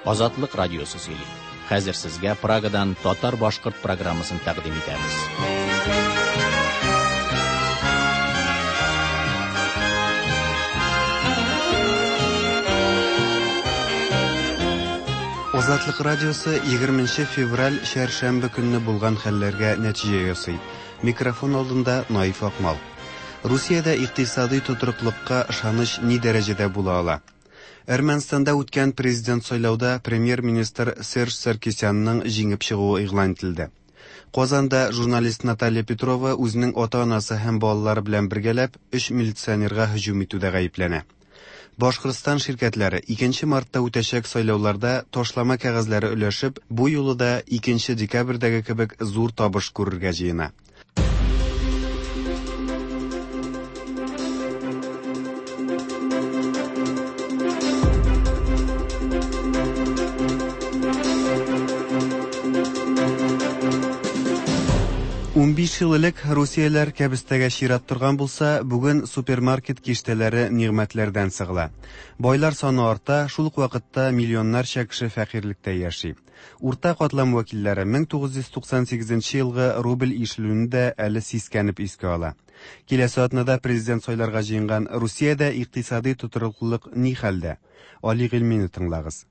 Азатлык радиосы сөйли. Хәзер сезгә Прагадан татар-башкорт программасын тәкъдим итәбез. Азатлык радиосы 20 февраль чәршәмбе көнне булган хәлләргә нәтиҗә ясый. Микрофон алдында Наиф Акмал. Русиядә икътисадый тотрыклыкка ышаныч ни дәрәҗәдә була ала? Әрмәнстанда үткән президент сайлауда премьер-министр Серж Саркисянның җиңеп чыгуы игълан ителде. Казанда журналист Наталья Петрова үзенең ата-анасы һәм балалары белән бергәләп өч милиционерга һөҗүм итүдә гаепләнә. Башкортстан ширкәтләре 2 мартта үтәчәк сайлауларда ташлама кәгазьләре өләшеп, бу юлы да 2 декабрьдәге кебек зур табыш күрергә җыена. 15 ел элек русияләр кәбестәгә чират торган булса, бүген супермаркет киштәләре нигъмәтләрдән сыгыла. Байлар саны арта, шул ук вакытта миллионнарча кеше фәкыйрьлектә яши. Урта катлам вәкилләре 1998 елгы рубль ишелүне дә әле сискәнеп искә ала. Киләсе атнада президент сайларга җыенган Русиядә икътисадый тотрыклылык ни хәлдә? Али Гыйльмине тыңлагыз.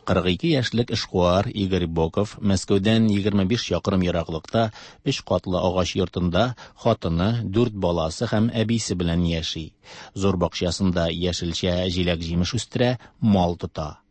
42 яшьлек эшкуар Игорь Боков Мәскәүдән 25 чакрым ераклыкта өч катлы агач йортында хатыны, дүрт баласы һәм әбисе белән яши. Зур бакчасында яшелчә, җиләк-җимеш үстерә, мал тота.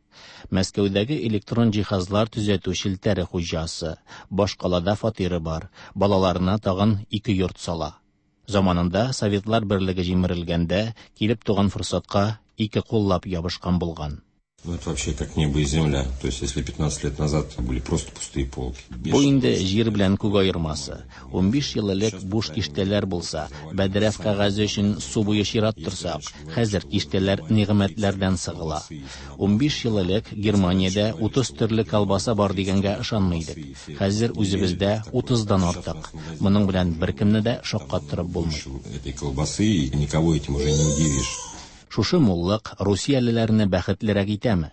Мәскәүдәге электрон җиһазлар төзәтү челтәре хуҗасы. Башкалада фатиры бар. Балаларына тагын ике йорт сала. Заманында Советлар берлеге җимерелгәндә килеп туган форсатка ике куллап ябышкан булган. Ну, это вообще как небо и земля. То есть, если 15 лет назад были просто пустые полки. Бу инде җир белән күк аермасы. 15 ел элек буш киштәләр булса, бәдрәф кәгазе өчен су буе чират торсак, хәзер киштәләр нигъмәтләрдән сыгыла. 15 ел элек Германиядә 30 төрле колбаса бар дигәнгә ышанмый идек. Хәзер үзебездә 30-дан артык. Моның белән беркемне дә шаккаттырып булмый. Этой колбасы, и никого этим уже не удивишь. Шушы муллык русиялеләрне бәхетлерәк итәме?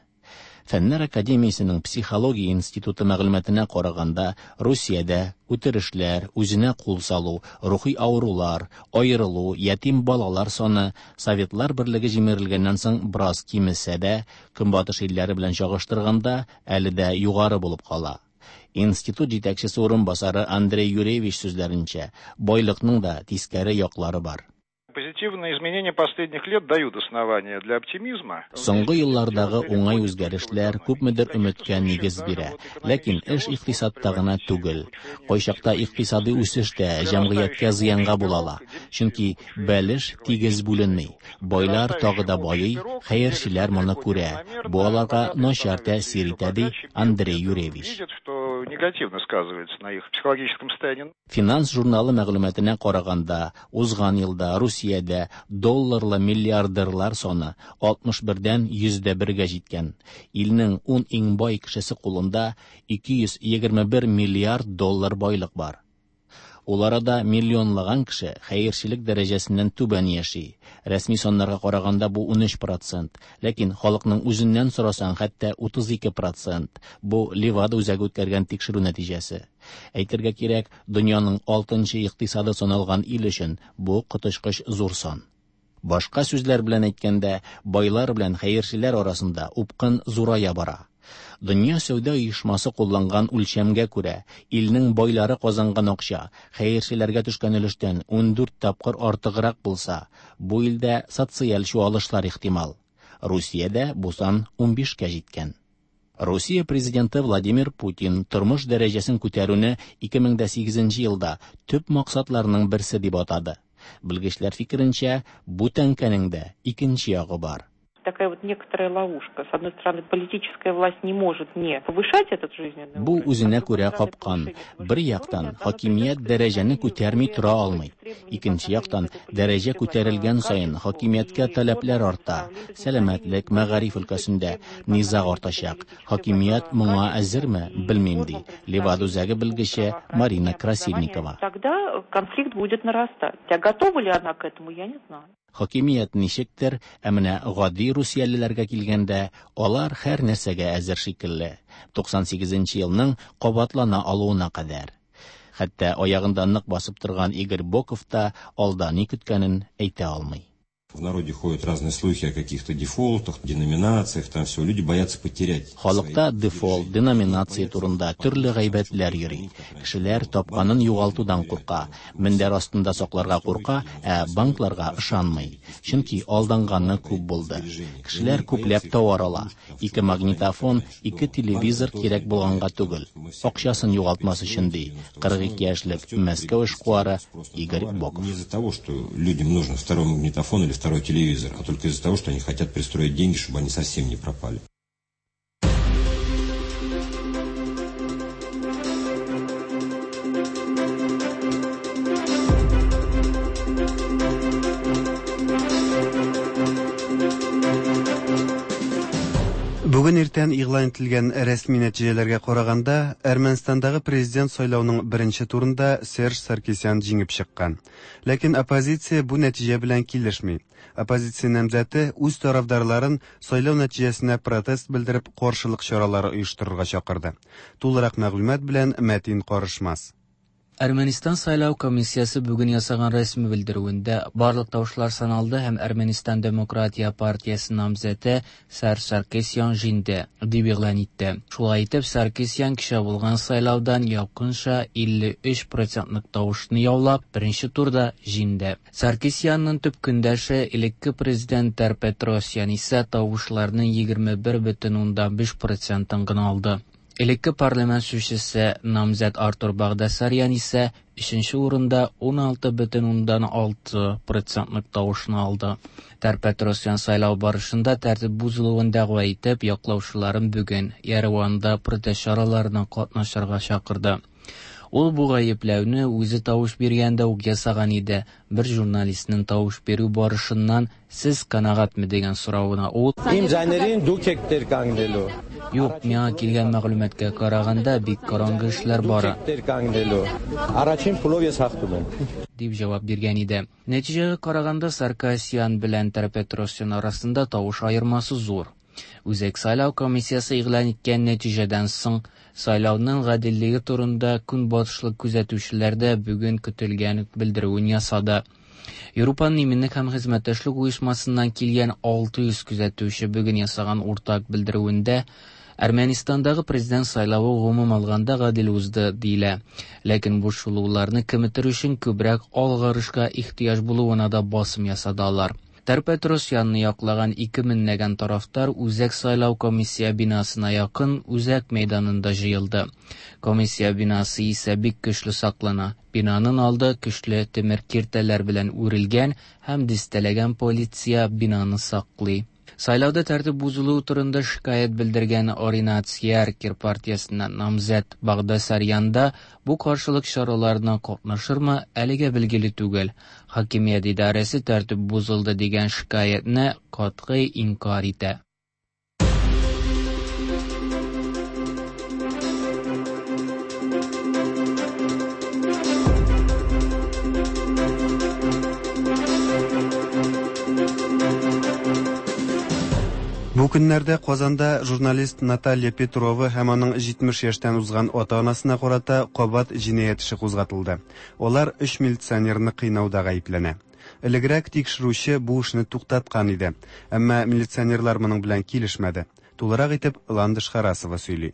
Фәннәр академиясенең психология институты мәгълүматына караганда, Русиядә үтерешләр, үзенә кул салу, рухи авырулар, аерылу, ятим балалар саны Советлар берлеге җимерелгәннән соң бераз кимесә дә, Көнбатыш илләре белән чагыштырганда, әле дә югары булып кала. Институт җитәкчесе урынбасары Андрей Юрьевич сүзләренчә, байлыкның да тискәре яклары бар. Позитивные изменения последних лет дают основания для оптимизма. Соңгы еллардагы уңай үзгәрешләр күпмедер өметкә нигез бирә. Ләкин эш икътисадта гына түгел. Кайчакта икътисадый үсеш тә җәмгыятькә зыянга була ала. Чөнки бәлеш тигез бүленми. Байлар тагы да байый, хәерчеләр моны күрә. Бу аларга начар тәэсир итә, ди Андрей Юрьевич. Видят, что негативно сказывается на их психологическом состоянии. Финанс журналы мәгълүматына караганда, узган елда Русиядә долларлы миллиардерлар саны 61-дән 101-гә җиткән. Илнең 10 иң бай кешесе кулында 221 миллиард доллар байлык бар. Ул арада миллионлаган кеше хәерчелек дәрәҗәсеннән түбән яши. Рәсми саннарга караганда бу 13%, ләкин халыкның үзеннән сорасаң хәтта 32%. Бу Левада үзәге үткәргән тикшерү нәтиҗәсе. Әйтергә кирәк, дөньяның 6нчы икътисады саналган ил өчен бу коточкыч зур сан. Башка сүзләр белән әйткәндә, байлар белән хәерчеләр арасында упкын зурая бара. Дөнья сәүдә оешмасы кулланган үлчәмгә күрә, илнең байлары казанган акча хәерчеләргә төшкән өлештән 14 тапкыр артыграк булса, бу илдә социаль чуалышлар ихтимал. Русиядә бу сан 15-кә җиткән. Русия президенты Владимир Путин тормыш дәрәҗәсен күтәрүне 2008 елда төп максатларының берсе дип атады. Белгечләр фикеренчә, бу тәңкәнең дә икенче ягы бар. Такая вот некоторая ловушка. С одной стороны, политическая власть не может не повышать этот жизненный Бу уровень, үзенә а с другой күрә стороны, капкан. повышение Бер жизненного яктан, уровня, оно хакимият придет к дәрәҗәне сохранению күтәрми тех тора требований алмый. к этой Икенче яктан, политической дәрәҗә власти, күтәрелгән саен качеству хакимияткә и таләпләр форме арта. предоставления Сәламәтлек, мәгариф өлкәсендә требований по низаг отношению к артачак. политической власти, Хакимият моңа качеству әзерме, и белмим, ди. формам Левада предоставления үзәге услуг белгече Марина здравоохранения, образования. Красильникова. Тогда конфликт будет нарастать. А готова ли она к этому, я не знаю. Хакимият ничектер, ә менә гади Гади русиялеләргә килгәндә, алар һәр нәрсәгә әзер шикелле. 98 нче елның кабатлана алуына кадәр. Хәтта аягында нык басып торган Игорь Боков та алда ни көткәнен әйтә алмый. В народе ходят разные слухи о каких-то дефолтах, деноминациях, там все. Люди боятся потерять. Халыкта дефолт, деноминация турында төрле гайбәтләр йөри. Кешеләр тапканын югалтудан курка, мендәр астында сакларга курка, ә банкларга ышанмый. Чөнки алданганы күп булды. Кешеләр күпләп тауар ала. Ике магнитофон, ике телевизор кирәк булганга түгел, акчасын югалтмас өчен, ди 42 яшьлек Мәскәү эшкуары Игорь Боков. Не из-за того, что людям нужен второй магнитофон или второй телевизор, а только из-за того, что они хотят пристроить деньги, чтобы они совсем не пропали. Бүген иртән игълан ителгән рәсми нәтиҗәләргә караганда, Әрмәнстандагы президент сайлауның беренче турында Серж Саркисян җиңеп чыккан. Ләкин оппозиция бу нәтиҗә белән килешми. Оппозиция намзәте үз тарафдарларын сайлау нәтиҗәсенә протест белдереп каршылык чаралары оештырырга чакырды. Тулырак мәгълүмат белән Мәтин Карышмас. Әрмәнистан сайлау комиссиясе бүген ясаган рәсми белдерүендә барлык тавышлар саналды һәм Әрмәнистан Демократия партиясе намзәте Серж Саркисян җиңде, дип игълан итте. Шулай итеп, Саркисян кичә булган сайлаудан якынча 53 процентлык тавышны яулап, беренче турда җиңде. Саркисянның төп көндәше, элекке президент Тер-Петросян исә тавышларның 21,5 процентын гына алды. Элекке парламент сүзчесе намзәт Артур Багдасарян исә өченче урында 16,6 процентлык тавышны алды. Тер-Петросян сайлау барышында тәртип бозылуын дәгъва итеп, яклаучыларын бүген Ереванда протест чараларына катнашырга чакырды. Ул бу гаепләүне үзе тавыш биргәндә үк ясаган иде. Бер журналистның тавыш бирү барышыннан сез канәгатьме дигән соравына ул Իմ ձայներին դուք եք տեր կանգնելու։ Юк, миңа килгән мәгълүматка караганда бик караңгы эшләр Դուք бара. եք տեր կանգնելու։ Առաջին փուլով ես հաղթում եմ։ дип җавап биргән иде. Нәтиҗәгә караганда Саркасян белән Тер-Петросян арасында тавыш аермасы зур. Үзәк сайлау комиссиясе игълан иткән нәтиҗәдән соң сайлауның гаделлеге турында көнбатышлы күзәтүчеләр дә бүген көтелгән белдерүен ясады. Европаның иминлек һәм хезмәттәшлек оешмасыннан килгән 600 күзәтүче бүген ясаган уртак белдерүендә Әрмәнистандагы президент сайлавы гомум алганда гадел узды диелә. Ләкин борчылуларны киметер өчен күбрәк алгарышка ихтыяҗ булуына да басым ясады алар. Тер-Петросянны яклаган 2 меңләгән тарафдар Үзәк сайлау комиссия бинасына якын Үзәк мәйданында җыелды. Комиссия бинасы исә бик көчле саклана. Бинаның алды көчле тимер киртәләр белән үрелгән һәм дистәләгән полиция бинаны саклый. Сайлауда тәртип бозылуы турында шикаять белдергән Оринат Яркир партиясеннән намзәт Багдасарян да бу каршылык чараларына катнашырмы, әлегә билгеле түгел. Хакимият идарәсе тәртип бозылды дигән шикаятьне катгый инкар итә. Бу көннәрдә Казанда журналист Наталья Петрова һәм аның 70 яшьтән узган ата-анасына карата кабат җинаять эше кузгатылды. Алар өч милиционерны кыйнауда гаепләнә. Элегрәк тикшерүче бу эшне туктаткан иде, әмма милиционерлар моның белән килешмәде. Тулырак итеп Ландыш Харасова сөйли.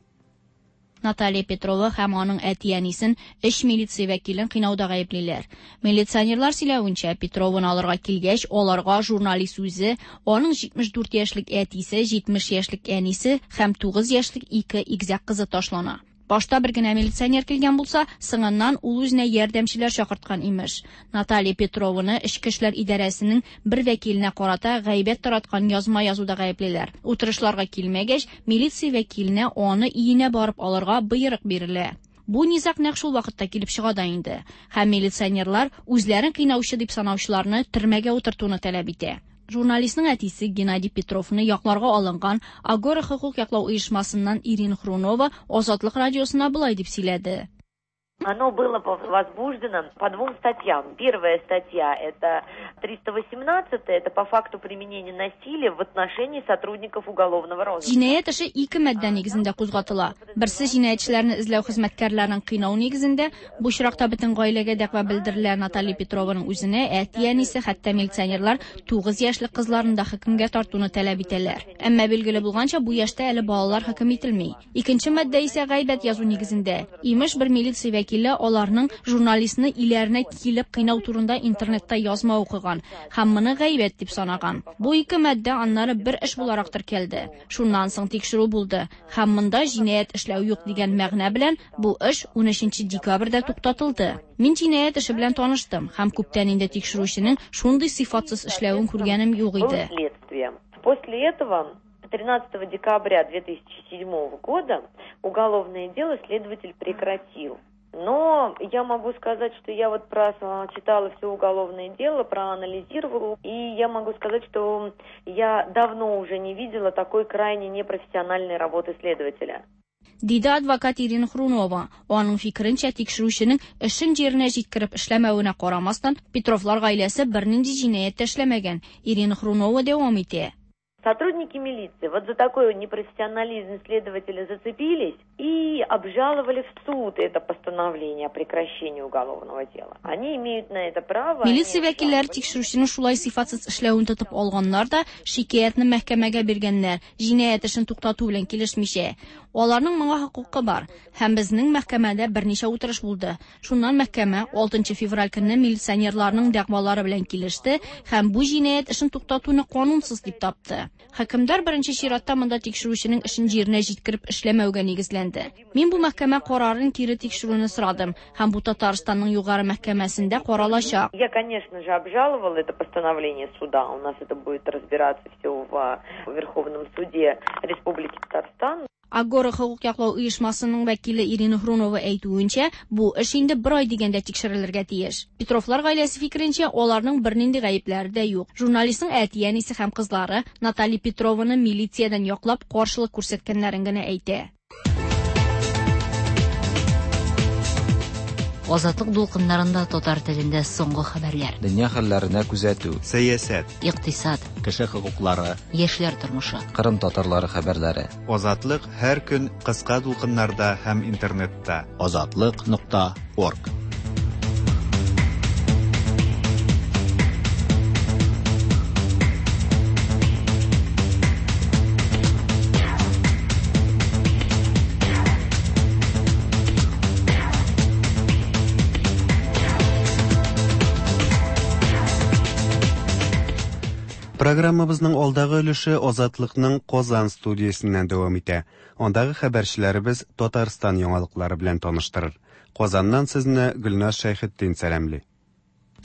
Наталья Петрова һәм аның әти-әнисен өч милиция вәкилен кыйнауда гаеплиләр. Милиционерлар сөйләвенчә, Петрованы алырга килгәч, аларга журналист үзе, аның 74 яшьлек әтисе, 70 яшьлек әнисе һәм 9 яшьлек ике игезәк кызы ташлана. Башта бер генә милиционер килгән булса, соңыннан ул үзенә ярдәмчеләр чакырткан имеш. Наталья Петрованы Эчке эшләр идарәсенең бер вәкиленә карата гайбәт тараткан язма язуда гаеплиләр. Утырышларга килмәгәч, милиция вәкиленә аны өенә барып алырга боерык бирелә. Бу низаг нәкъ шул вакытта килеп чыга да инде. Һәм милиционерлар үзләрен кыйнаучы дип санаучыларны төрмәгә утыртуны таләп итә. Журналистның әтисе Геннадий Петровны якларга алынган Агора хокук яклау оешмасыннан Ирина Хрунова Азатлык радиосына болай дип сөйләде. Оно было возбуждено по двум статьям. Первая статья – это 318, это по факту применения насилия в отношении сотрудников уголовного розыска. Җинаять эше ике маддә нигезендә кузгатыла. Берсе җинаятьчеләрне эзләү хезмәткәрләрен кыйнау нигезендә, бу очракта бөтен гаиләгә дәгъва белдерелә. Наталья Петрованың үзенә, әти-әнисе, хәтта милиционерлар 9 яшьлек кызларын да хөкемгә тартуны таләп итәләр. Әмма билгеле булганча, бу яшьтә әле балалар хөкем ителми. Икенче маддә исә гайбәт язу нигезендә. Имеш, бер милиция вәкиле аларның журналистны иләренә килеп кыйнау турында интернетта язма укыган һәм моны гайбәт дип санаган. Бу ике маддә аннары бер эш буларак теркәлде. Шуннан соң тикшерү булды һәм монда җинаять эшләү юк дигән мәгънә белән бу эш 13 декабрьдә туктатылды. Мин җинаять эше белән таныштым һәм күптән инде тикшерүченең шундый сыйфатсыз эшләвен күргәнем юк иде. После этого 13 декабря 2007 года уголовное дело следователь прекратил. Но я могу сказать, что я вот прочитала все уголовное дело, проанализировала, и я могу сказать, что я давно уже не видела такой крайне непрофессиональной работы следователя. Диде адвокат Ирина Хрунова. Аның фикеренчә, тикшерүченең эшен җиренә җиткереп эшләмәвенә карамастан, Петровлар гаиләсе бернинди җинаять тә эшләмәгән. Ирина Хрунова дәвам итә. Сотрудники милиции вот за такой непрофессионализм следователя зацепились и обжаловали в суд это постановление о прекращении уголовного дела. Они имеют на это право. Милиция вәкилләре тикшерүченең шулай сыйфатсыз эшләвен тотып алганнар да шикаятьне мәхкәмәгә биргәннәр, җинаять эшен туктату белән килешмичә. Аларның моңа хокукы бар. Һәм безнең мәхкәмәдә берничә утырыш булды. Шуннан мәхкәмә 6 февраль көнне милиционерларның дәгъвалары белән килеште һәм бу җинаять эшен туктатуны канунсыз дип тапты. Хөкемдар беренче чиратта монда тикшерүченең эшен җиренә җиткереп эшләмәүгә нигезләнде. Мин бу мәхкәмә карарын кире тикшерүне сорадым һәм бу Татарстанның югары мәхкәмәсендә каралачак. Я, конечно же, обжаловала это постановление суда. У нас это будет разбираться все в Верховном суде Республики Татарстан. Агора хокук яклау оешмасының вәкиле Ирина Хрунова әйтүенчә, бу эш инде бер ай дигәндә тикшерелергә тиеш. Петровлар гаиләсе фикеренчә, аларның бернинди гаепләре дә юк. Журналистның әти-әнисе һәм кызлары Наталья Петрованы милициядән яклап каршылык күрсәткәннәрен генә әйтә. Азатлык дулкыннарында татар телендә соңгы хәбәрләр. Дөнья хәлләренә күзәтү. Сәясәт. Икътисад. Кеше хокуклары. Яшьләр тормышы. Кырым татарлары хәбәрләре. Азатлык һәр көн кыска дулкыннарда һәм интернетта. Азатлык.орг. Программабызның алдагы өлеше Азатлыкның Казан студиясеннән дәвам итә. Андагы хәбәрчеләребез Татарстан яңалыклары белән таныштырыр. Казаннан сезне Гөлназ Шәйхетдин сәламли.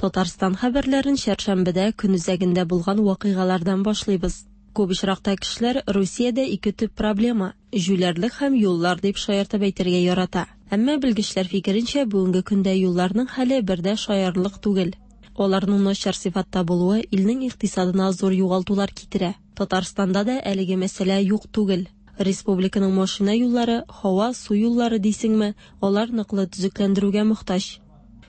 Татарстан хәбәрләрен чәршәмбедә көн үзәгендә булган вакыйгалардан башлыйбыз. Күп очракта кешеләр Русиядә ике төп проблема җүләрлек һәм юллар дип шаяртып әйтергә ярата. Әмма белгечләр фикеренчә, бүгенге көндә юлларның хәле бер дә шаярлык түгел. Аларның начар сыйфатта булуы илнең икътисадына зур югалтулар китерә. Татарстанда да әлеге мәсьәлә юк түгел. Республиканың машина юллары, һава, су юллары дисеңме, алар ныклы төзекләндерүгә мохтаҗ.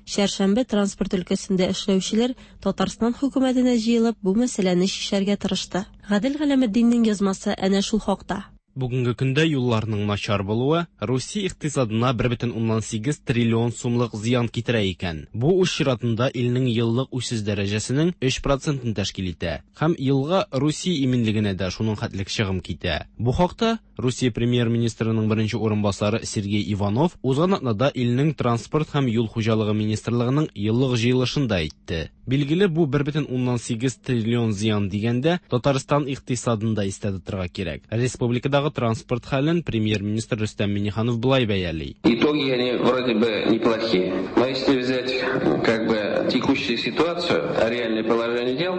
Чәршәмбе транспорт өлкәсендә эшләүчеләр Татарстан хөкүмәтенә җыелып бу мәсьәләне чишәргә тырышты. Гадел Галәметдиннең язмасы әнә шул хакта. Бүгенге көндә юлларның начар булуы Русия икътисадына 1,8 триллион сумлык зыян китерә икән. Бу үз чиратында илнең еллык үсеш дәрәҗәсенең 3%-ын тәшкил итә. Һәм елга Русия иминлегенә дә шуның хәтлек чыгым китә. Бу хакта Русия премьер-министрының беренче урынбасары Сергей Иванов узган атнада илнең транспорт һәм юл хуҗалыгы министрлыгының еллык җыелышында әйтте. Билгеле, бу 1,8 триллион зыян дигәндә Татарстан икътисадын да истә тотырга кирәк. Республикадагы транспорт хәлен премьер-министр Рөстәм Миңнеханов болай бәяли. Итоги они вроде бы неплохие. Но если взять как бы текущую ситуацию, реальное положение дел,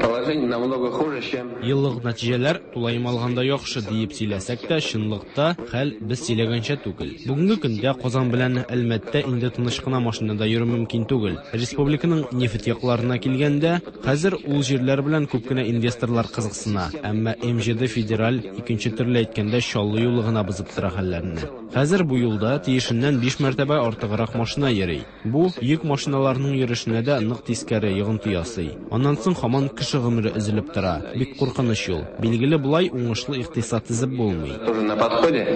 положение намного хуже, чем... Еллык нәтиҗәләр тулаем алганда яхшы диеп сөйләсәк тә, чынлыкта хәл без сөйләгәнчә түгел. Бүгенге көндә Казан белән Әлмәттә инде тыныч кына машинада йөрү мөмкин түгел. Республиканың нефть якларына килгәндә, хәзер ул җирләр белән күп кенә инвесторлар кызыксына. Әмма М7 федераль икенче төп төрле әйткәндә, Чаллы юлы гына бозып тора хәлләрне. Хәзер бу юлда тиешеннән 5 мәртәбә артыграк машина йөри. Бу йөк машиналарының йөрешенә дә нык тискәре йогынты ясый. Аннан соң һаман кеше гомере өзелеп тора. Бик куркыныч юл. Билгеле, болай уңышлы икътисад төзеп булмый. Тоже на подходе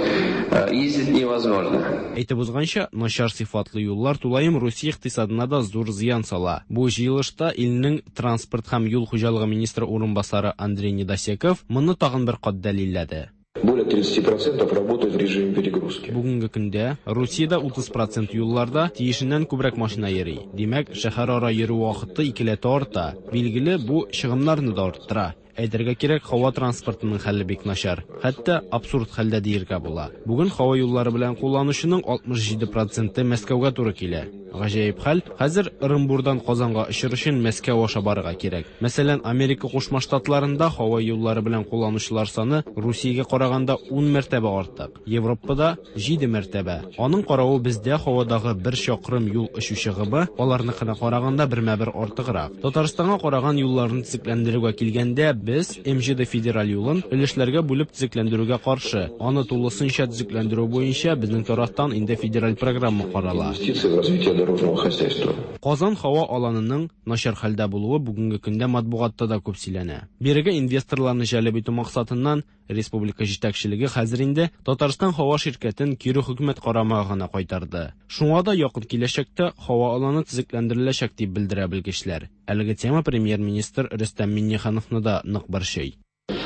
ездить невозможно. Әйтеп узганча, начар сыйфатлы юллар тулаем Русия икътисадына да зур зыян сала. Бу җыелышта илнең транспорт һәм юл хуҗалыгы министры урынбасары Андрей Недосеков моны тагын бер кат дәлилләде. Более 30% работают в режиме перегрузки. Бүгенге көндә Русиядә 30% юлларда тиешеннән күбрәк машина йөри. Димәк, шәһәрара йөрү вакыты икеләтә арта. Билгеле, бу чыгымнарны да арттыра. Әйтергә кирәк, һава транспортының хәле бик начар. Хәтта абсурд хәлдә диергә була. Бүген һава юллары белән кулланучының 67% Мәскәүгә туры килә. Гаҗәеп хәл, хәзер Ырынбурдан Казанга очыр өчен Мәскәү аша барырга кирәк. Мәсәлән, Америка Кушма Штатларында һава юллары белән кулланучылар саны Русиягә караганда 10 мәртәбә артык. Европада 7 мәртәбә. Аның каравы бездә һавадагы бер чакрым юл очу чыгымы аларныкына караганда бермә-бер артыграк. Татарстанга караган юлларны төзекләндерүгә килгәндә, без МЖД федераль юлын өлешләргә бүлеп төзекләндерүгә каршы. Аны тулысынча төзекләндерү буенча безнең тарафтан инде федераль программа карала. Инвестиции в развитие дорожного хозяйства. Казан һава аланының начар хәлдә булуы бүгенге көндә матбугатта да күп сөйләнә. Бирегә инвесторларны җәлеп итү максатыннан республика җитәкчелеге хәзер инде Татарстан һава ширкәтен кире хөкүмәт карамагына кайтарды. Шуңа да якын киләчәктә һава аланы төзекләндереләчәк дип белдерә белгечләр. Әлеге тема премьер-министр Рөстәм Миңнехановны да нык борчый.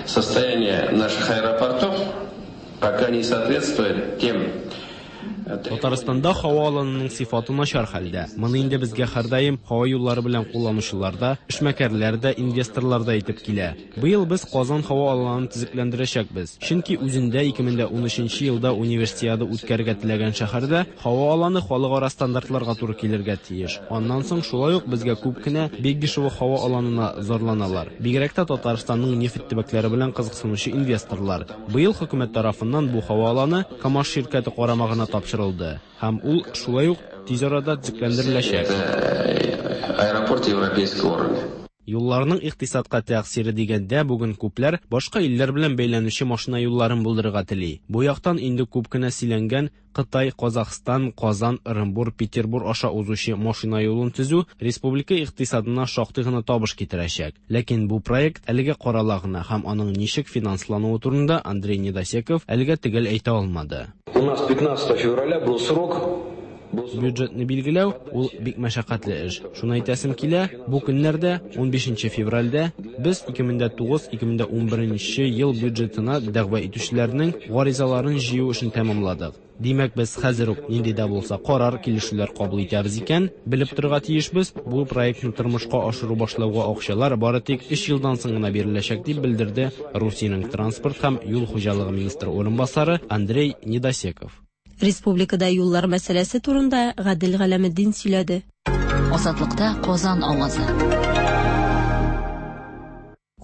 Состояние наших аэропортов пока не соответствует тем Татарстанда һава аланының сыйфаты начар хәлдә. Моны инде безгә һәрдаим һава юллары белән кулланучылар да, эшмәкәрләр дә, инвесторлар да әйтеп килә. Быел без Казан һава аланын төзекләндерәчәкбез. Чөнки үзендә 2013 елда универсиада үткәрергә теләгән шәһәрдә һава аланы халыкара стандартларга туры килергә тиеш. Аннан соң шулай ук безгә күп кенә Бегишево һава аланына зарланалар. Бигрәк тә Татарстанның нефть төбәкләре белән кызыксынучы инвесторлар. Быел хөкүмәт тарафыннан бу һава аланы КАМАЗ ширкәте карамагына тапшырылды һәм ул шулай ук тиз арада төзекләндереләчәк. Аэропорт европейского уровня. Юлларның икътисадка тәэсире дигәндә бүген күпләр башка илләр белән бәйләнүче машина юлларын булдырырга тели. Бу яктан инде күп кенә сөйләнгән Кытай, Казахстан, Казан, Ырынбур, Петербур аша узучы машина юлын төзү республика икътисадына шактый гына табыш китерәчәк. Ләкин бу проект әлегә карала гына һәм аның ничек финанслануы турында Андрей Недосеков әлегә төгәл әйтә алмады. У нас 15 февраля был срок. Бюджетны билгеләү ул бик мәшәкатьле эш. Шуны әйтәсем килә, бу көннәрдә 15 февральдә без 2009-2011 ел бюджетына дәгъва итүчеләрнең гаризаларын җыю эшен тәмамладык. Димәк, без хәзер үк нинди дә булса карар, килешүләр кабул итәбез икән, белеп торырга тиешбез, бу проектны тормышка ашыру башлауга акчалар бары тик 3 елдан соң гына биреләчәк, дип белдерде Русиянең транспорт һәм юл хуҗалыгы министры урынбасары Андрей Недосеков. Республикада юллар мәсьәләсе турында Гадел Галәметдин сөйләде. Азатлыкта Казан авазы.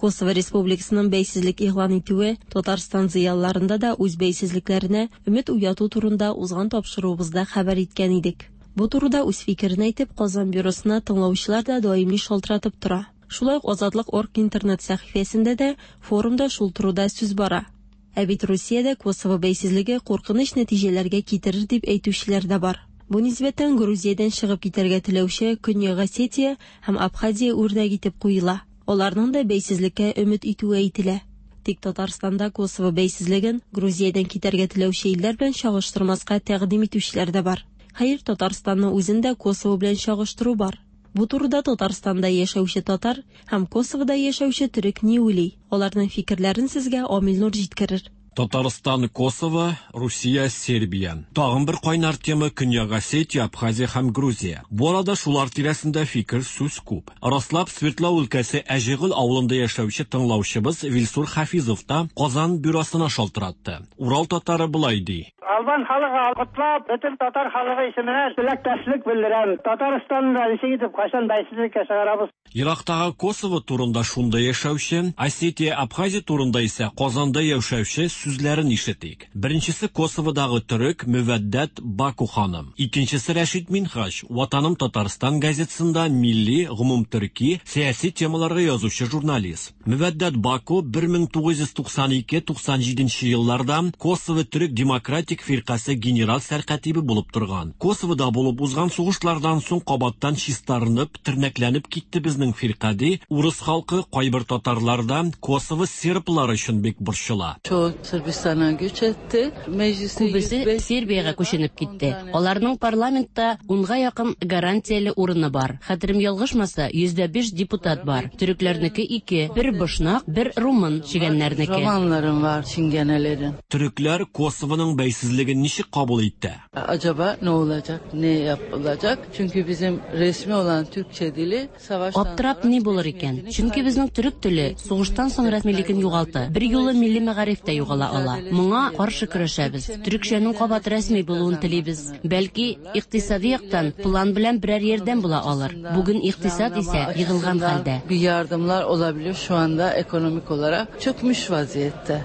Косово Республикасының бәйсезлек игълан итүе Татарстан зыялыларында да үз бәйсезлекләренә өмет уяту турында узган тапшыруыбызда хәбәр иткән идек. Бу турыда үз фикерен әйтеп, Казан бюросына тыңлаучылар да даими шалтыратып тора. Шулай ук Азатлык орг интернет сәхифәсендә дә форумда шул турыда сүз бара. Ә бит Русиядә Косово бәйсезлеге куркыныч нәтиҗәләргә китерер дип әйтүчеләр дә бар. Бу нисбәттән Грузиядән чыгып китәргә теләүче Көньяк Осетия һәм Абхазия үрнәк итеп куела. Аларның да бәйсезлеккә өмет итүе әйтелә. Тик Татарстанда Косово бәйсезлеген Грузиядән китәргә теләүче илләр белән чагыштырмаска тәкъдим итүчеләр дә бар. Хәер, Татарстанны үзен дә Косово белән чагыштыру бар. Бу турыда Татарстанда яшәүче татар һәм Косовода яшәүче төрек ни уйлый? Аларның фикерләрен сезгә Амил Нур җиткерер. Татарстан, Косово, Русия, Сербия. Тагын бер кайнар тема Көньяк Осетия, Абхазия һәм Грузия. Бу арада шулар тирәсендә фикер сүз күп. Раслап Свердлау өлкәсе Әҗегөл авылында яшәүче тыңлаучыбыз Вилсур Хафизов та Казан бюросына шалтыратты. Урал татары болай ди. Албан халыгы котлап, бөтен татар халыгы исеменә теләктәшлек белдерәм. Татарстанны ничек итеп кайчан бәйсезлеккә чыгарабыз? Ерактагы Косово турында шунда яшәүче, Осетия, Абхазия турында исә Казанда яшәүче сүзләрен ишетик. Беренчесе Косоводагы төрек Мөвәддәт Баку ханым. Икенчесе Рәшит Минһаҗ, Ватаным Татарстан газетасында милли, гомумтөрки, сәяси темаларга язучы журналист. Мөвәддәт Баку 1992-97 елларда Косово төрек демократик фиркасе генерал сәркатибе булып торган. Косовода булып узган сугышлардан соң кабаттан чистарынып, тернәкләнеп китте безнең фирка ди. Урыс халкы, кайбер татарлар да Косово серблары өчен бик борчыла. Çoğu Sırbistan'a göç etti. Mecliste Күбесе Сербиягә күченеп китте. Аларның парламентта унга якын гарантияле урыны бар. Хәтерем ялгышмаса, 5% депутат бар. Төрекләрнеке ике, бер бошнак, бер румын чегәннәрнеке. Romanlarım var Çingenelerin. Төрекләр Косовоның бәйсезлеген ничек кабул итте? Acaba ne olacak, ne yapılacak? Çünkü bizim resmi olan Türkçe dili savaştan Аптырап ни булыр икән? Чөнки безнең төрек теле сугыштан соң рәсмилеген югалты. Бер юлы милли мәгариф тә югала ала. Моңа каршы көрәшәбез. Төрекчәнең кабат рәсми булуын телибез. Бәлки, икътисади яктан план белән берәр ярдәм була алыр. Бүген икътисад исә егылган хәлдә. bir yardımlar olabilir şu anda ekonomik olarak çökmüş vaziyette.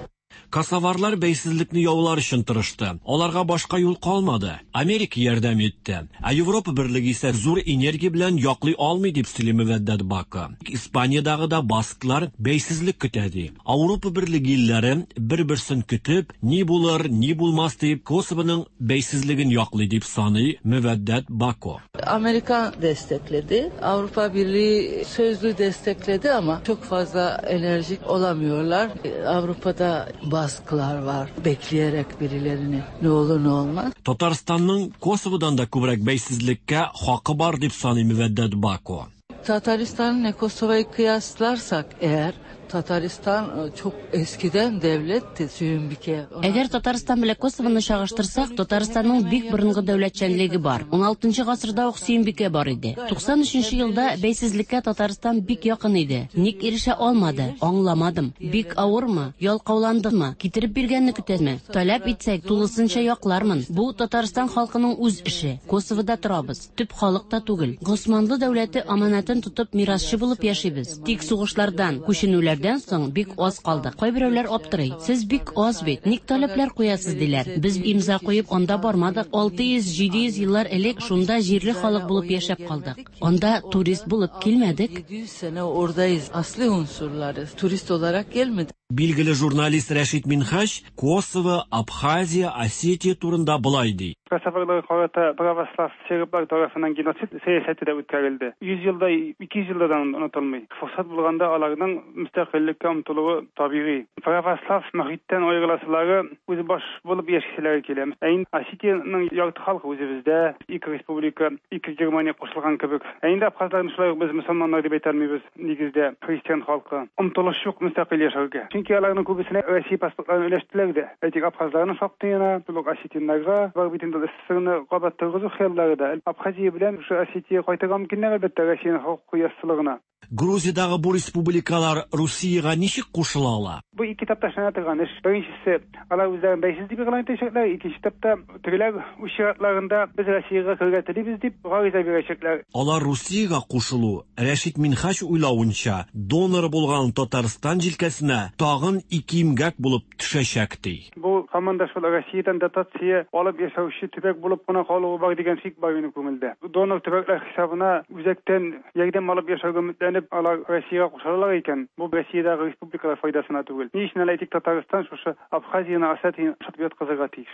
Косоварлар бәйсезлекне яулар өчен тырышты. Аларга башка юл калмады. Америка ярдәм итте. Ә Европа берлеге исә зур энергия белән яклый алмый дип сөйли Мөвәддәт Бака. Испаниядагы да басклар бәйсезлек көтә ди. Ауропа берлеге илләре бер-берсен көтеп, ни булыр, ни булмас дип Косовоның бәйсезлеген яклый дип саный Мөвәддәт Бако. Amerika destekledi. Avrupa Birliği sözlü destekledi ama çok fazla enerjik olamıyorlar. Avrupa'da baskılar var. Bekleyerek birilerini ne olur ne olmaz. Татарстанның Косоводан да күбрәк бәйсезлеккә хакы бар дип саный Мөвәддәт Бако. Tataristan'la Kosova'yı kıyaslarsak eğer Tataristan çok eskiden devletti Süyümbike. Әгәр Татарстан белән Косовоны чагыштырсак, Татарстанның бик борынгы дәүләтчәнлеге бар. 16 гасырда ук Сөембикә бар иде. 93 елда бәйсезлеккә Татарстан бик якын иде. Ник ирешә алмады? Аңламадым. Бик авырмы? Ялкауландымы? Китереп биргәнне көтәме? Таләп итсәк, тулысынча яклармын. Бу Татарстан халкының үз эше. Косовода торабыз. Төп халык та түгел. Госманлы дәүләте аманатын тотып мирасчы булып яшибез. Тик сугышлардан, күченүләрдән соң бик аз калдык. Кайберәүләр аптырый. Сез бик аз бит. Ник таләпләр куясыз диләр. Без имза куеп анда бармадык. 600-700 еллар элек шунда җирле халык булып яшәп калдык. Анда турист булып килмәдек. 700 sene oradayız. Asli unsurlarız. Turist olarak gelmedik. Билгеле журналист Рәшит Минһаҗ Косово, Абхазия, Осетия турында болай ди. Kosovalılara karata pravoslav Serblar tarafından genosid siyaseti de үткәрелде. 100 yılda, 200 yıldan unutulmuyor. Fırsat bulganda alarның müstakillikке омтылуы табигый. Православ мөхиттән аерыласылары үзе баш булып яшиселәре килә. Ә инде Осетиянең ярты халкы үзебездә, ике республика, ике Германия кушылган кебек. Ә инде абхазларны шулай ук без мөселманнар дип әйтә алмыйбыз, нигездә христиан халкы. Омтылыш юк мөстәкыйль яшәргә. Чөнки аларның күбесенә Россия паспортларын өләштеләр дә. Әйтик, абхазларның шактыена, шул ук осетиннарга бар бит инде СССРны кабат торгызу хыяллары да. Абхазия белән шушы Осетия кайтырга мөмкиннәр, әлбәттә, Россиянең хокукый яссылыгына. Грузиядагы бу республикалар Русиягә ничек кушыла ала? Бу ике этапта эшләнә торган эш. Беренчесе, алар үзләрен бәйсез дип игълан итәчәкләр. Икенче этапта тегеләр үз чиратларында без Россиягә керергә телибез дип гариза бирәчәкләр. Алар Русиягә кушылу, Рәшит Минһаҗ уйлавынча, донор булган Татарстан җилкәсенә тагын ике имгәк булып төшәчәк ди. Бу һаман да шул Россиядән дотация алып яшәүче төбәк булып кына калуы бар дигән шик бар минем күңелдә. Донор төбәкләр хисабына үзәктән ярдәм алып яшәүгә өметләнеп, алар Россиягә кушылалар икән, бу Россиядәге республикалар файдасына түгел. Ни өчен әле әйтик, Татарстан шушы Абхазияны, Осетияны ошатып яткызырга тиеш?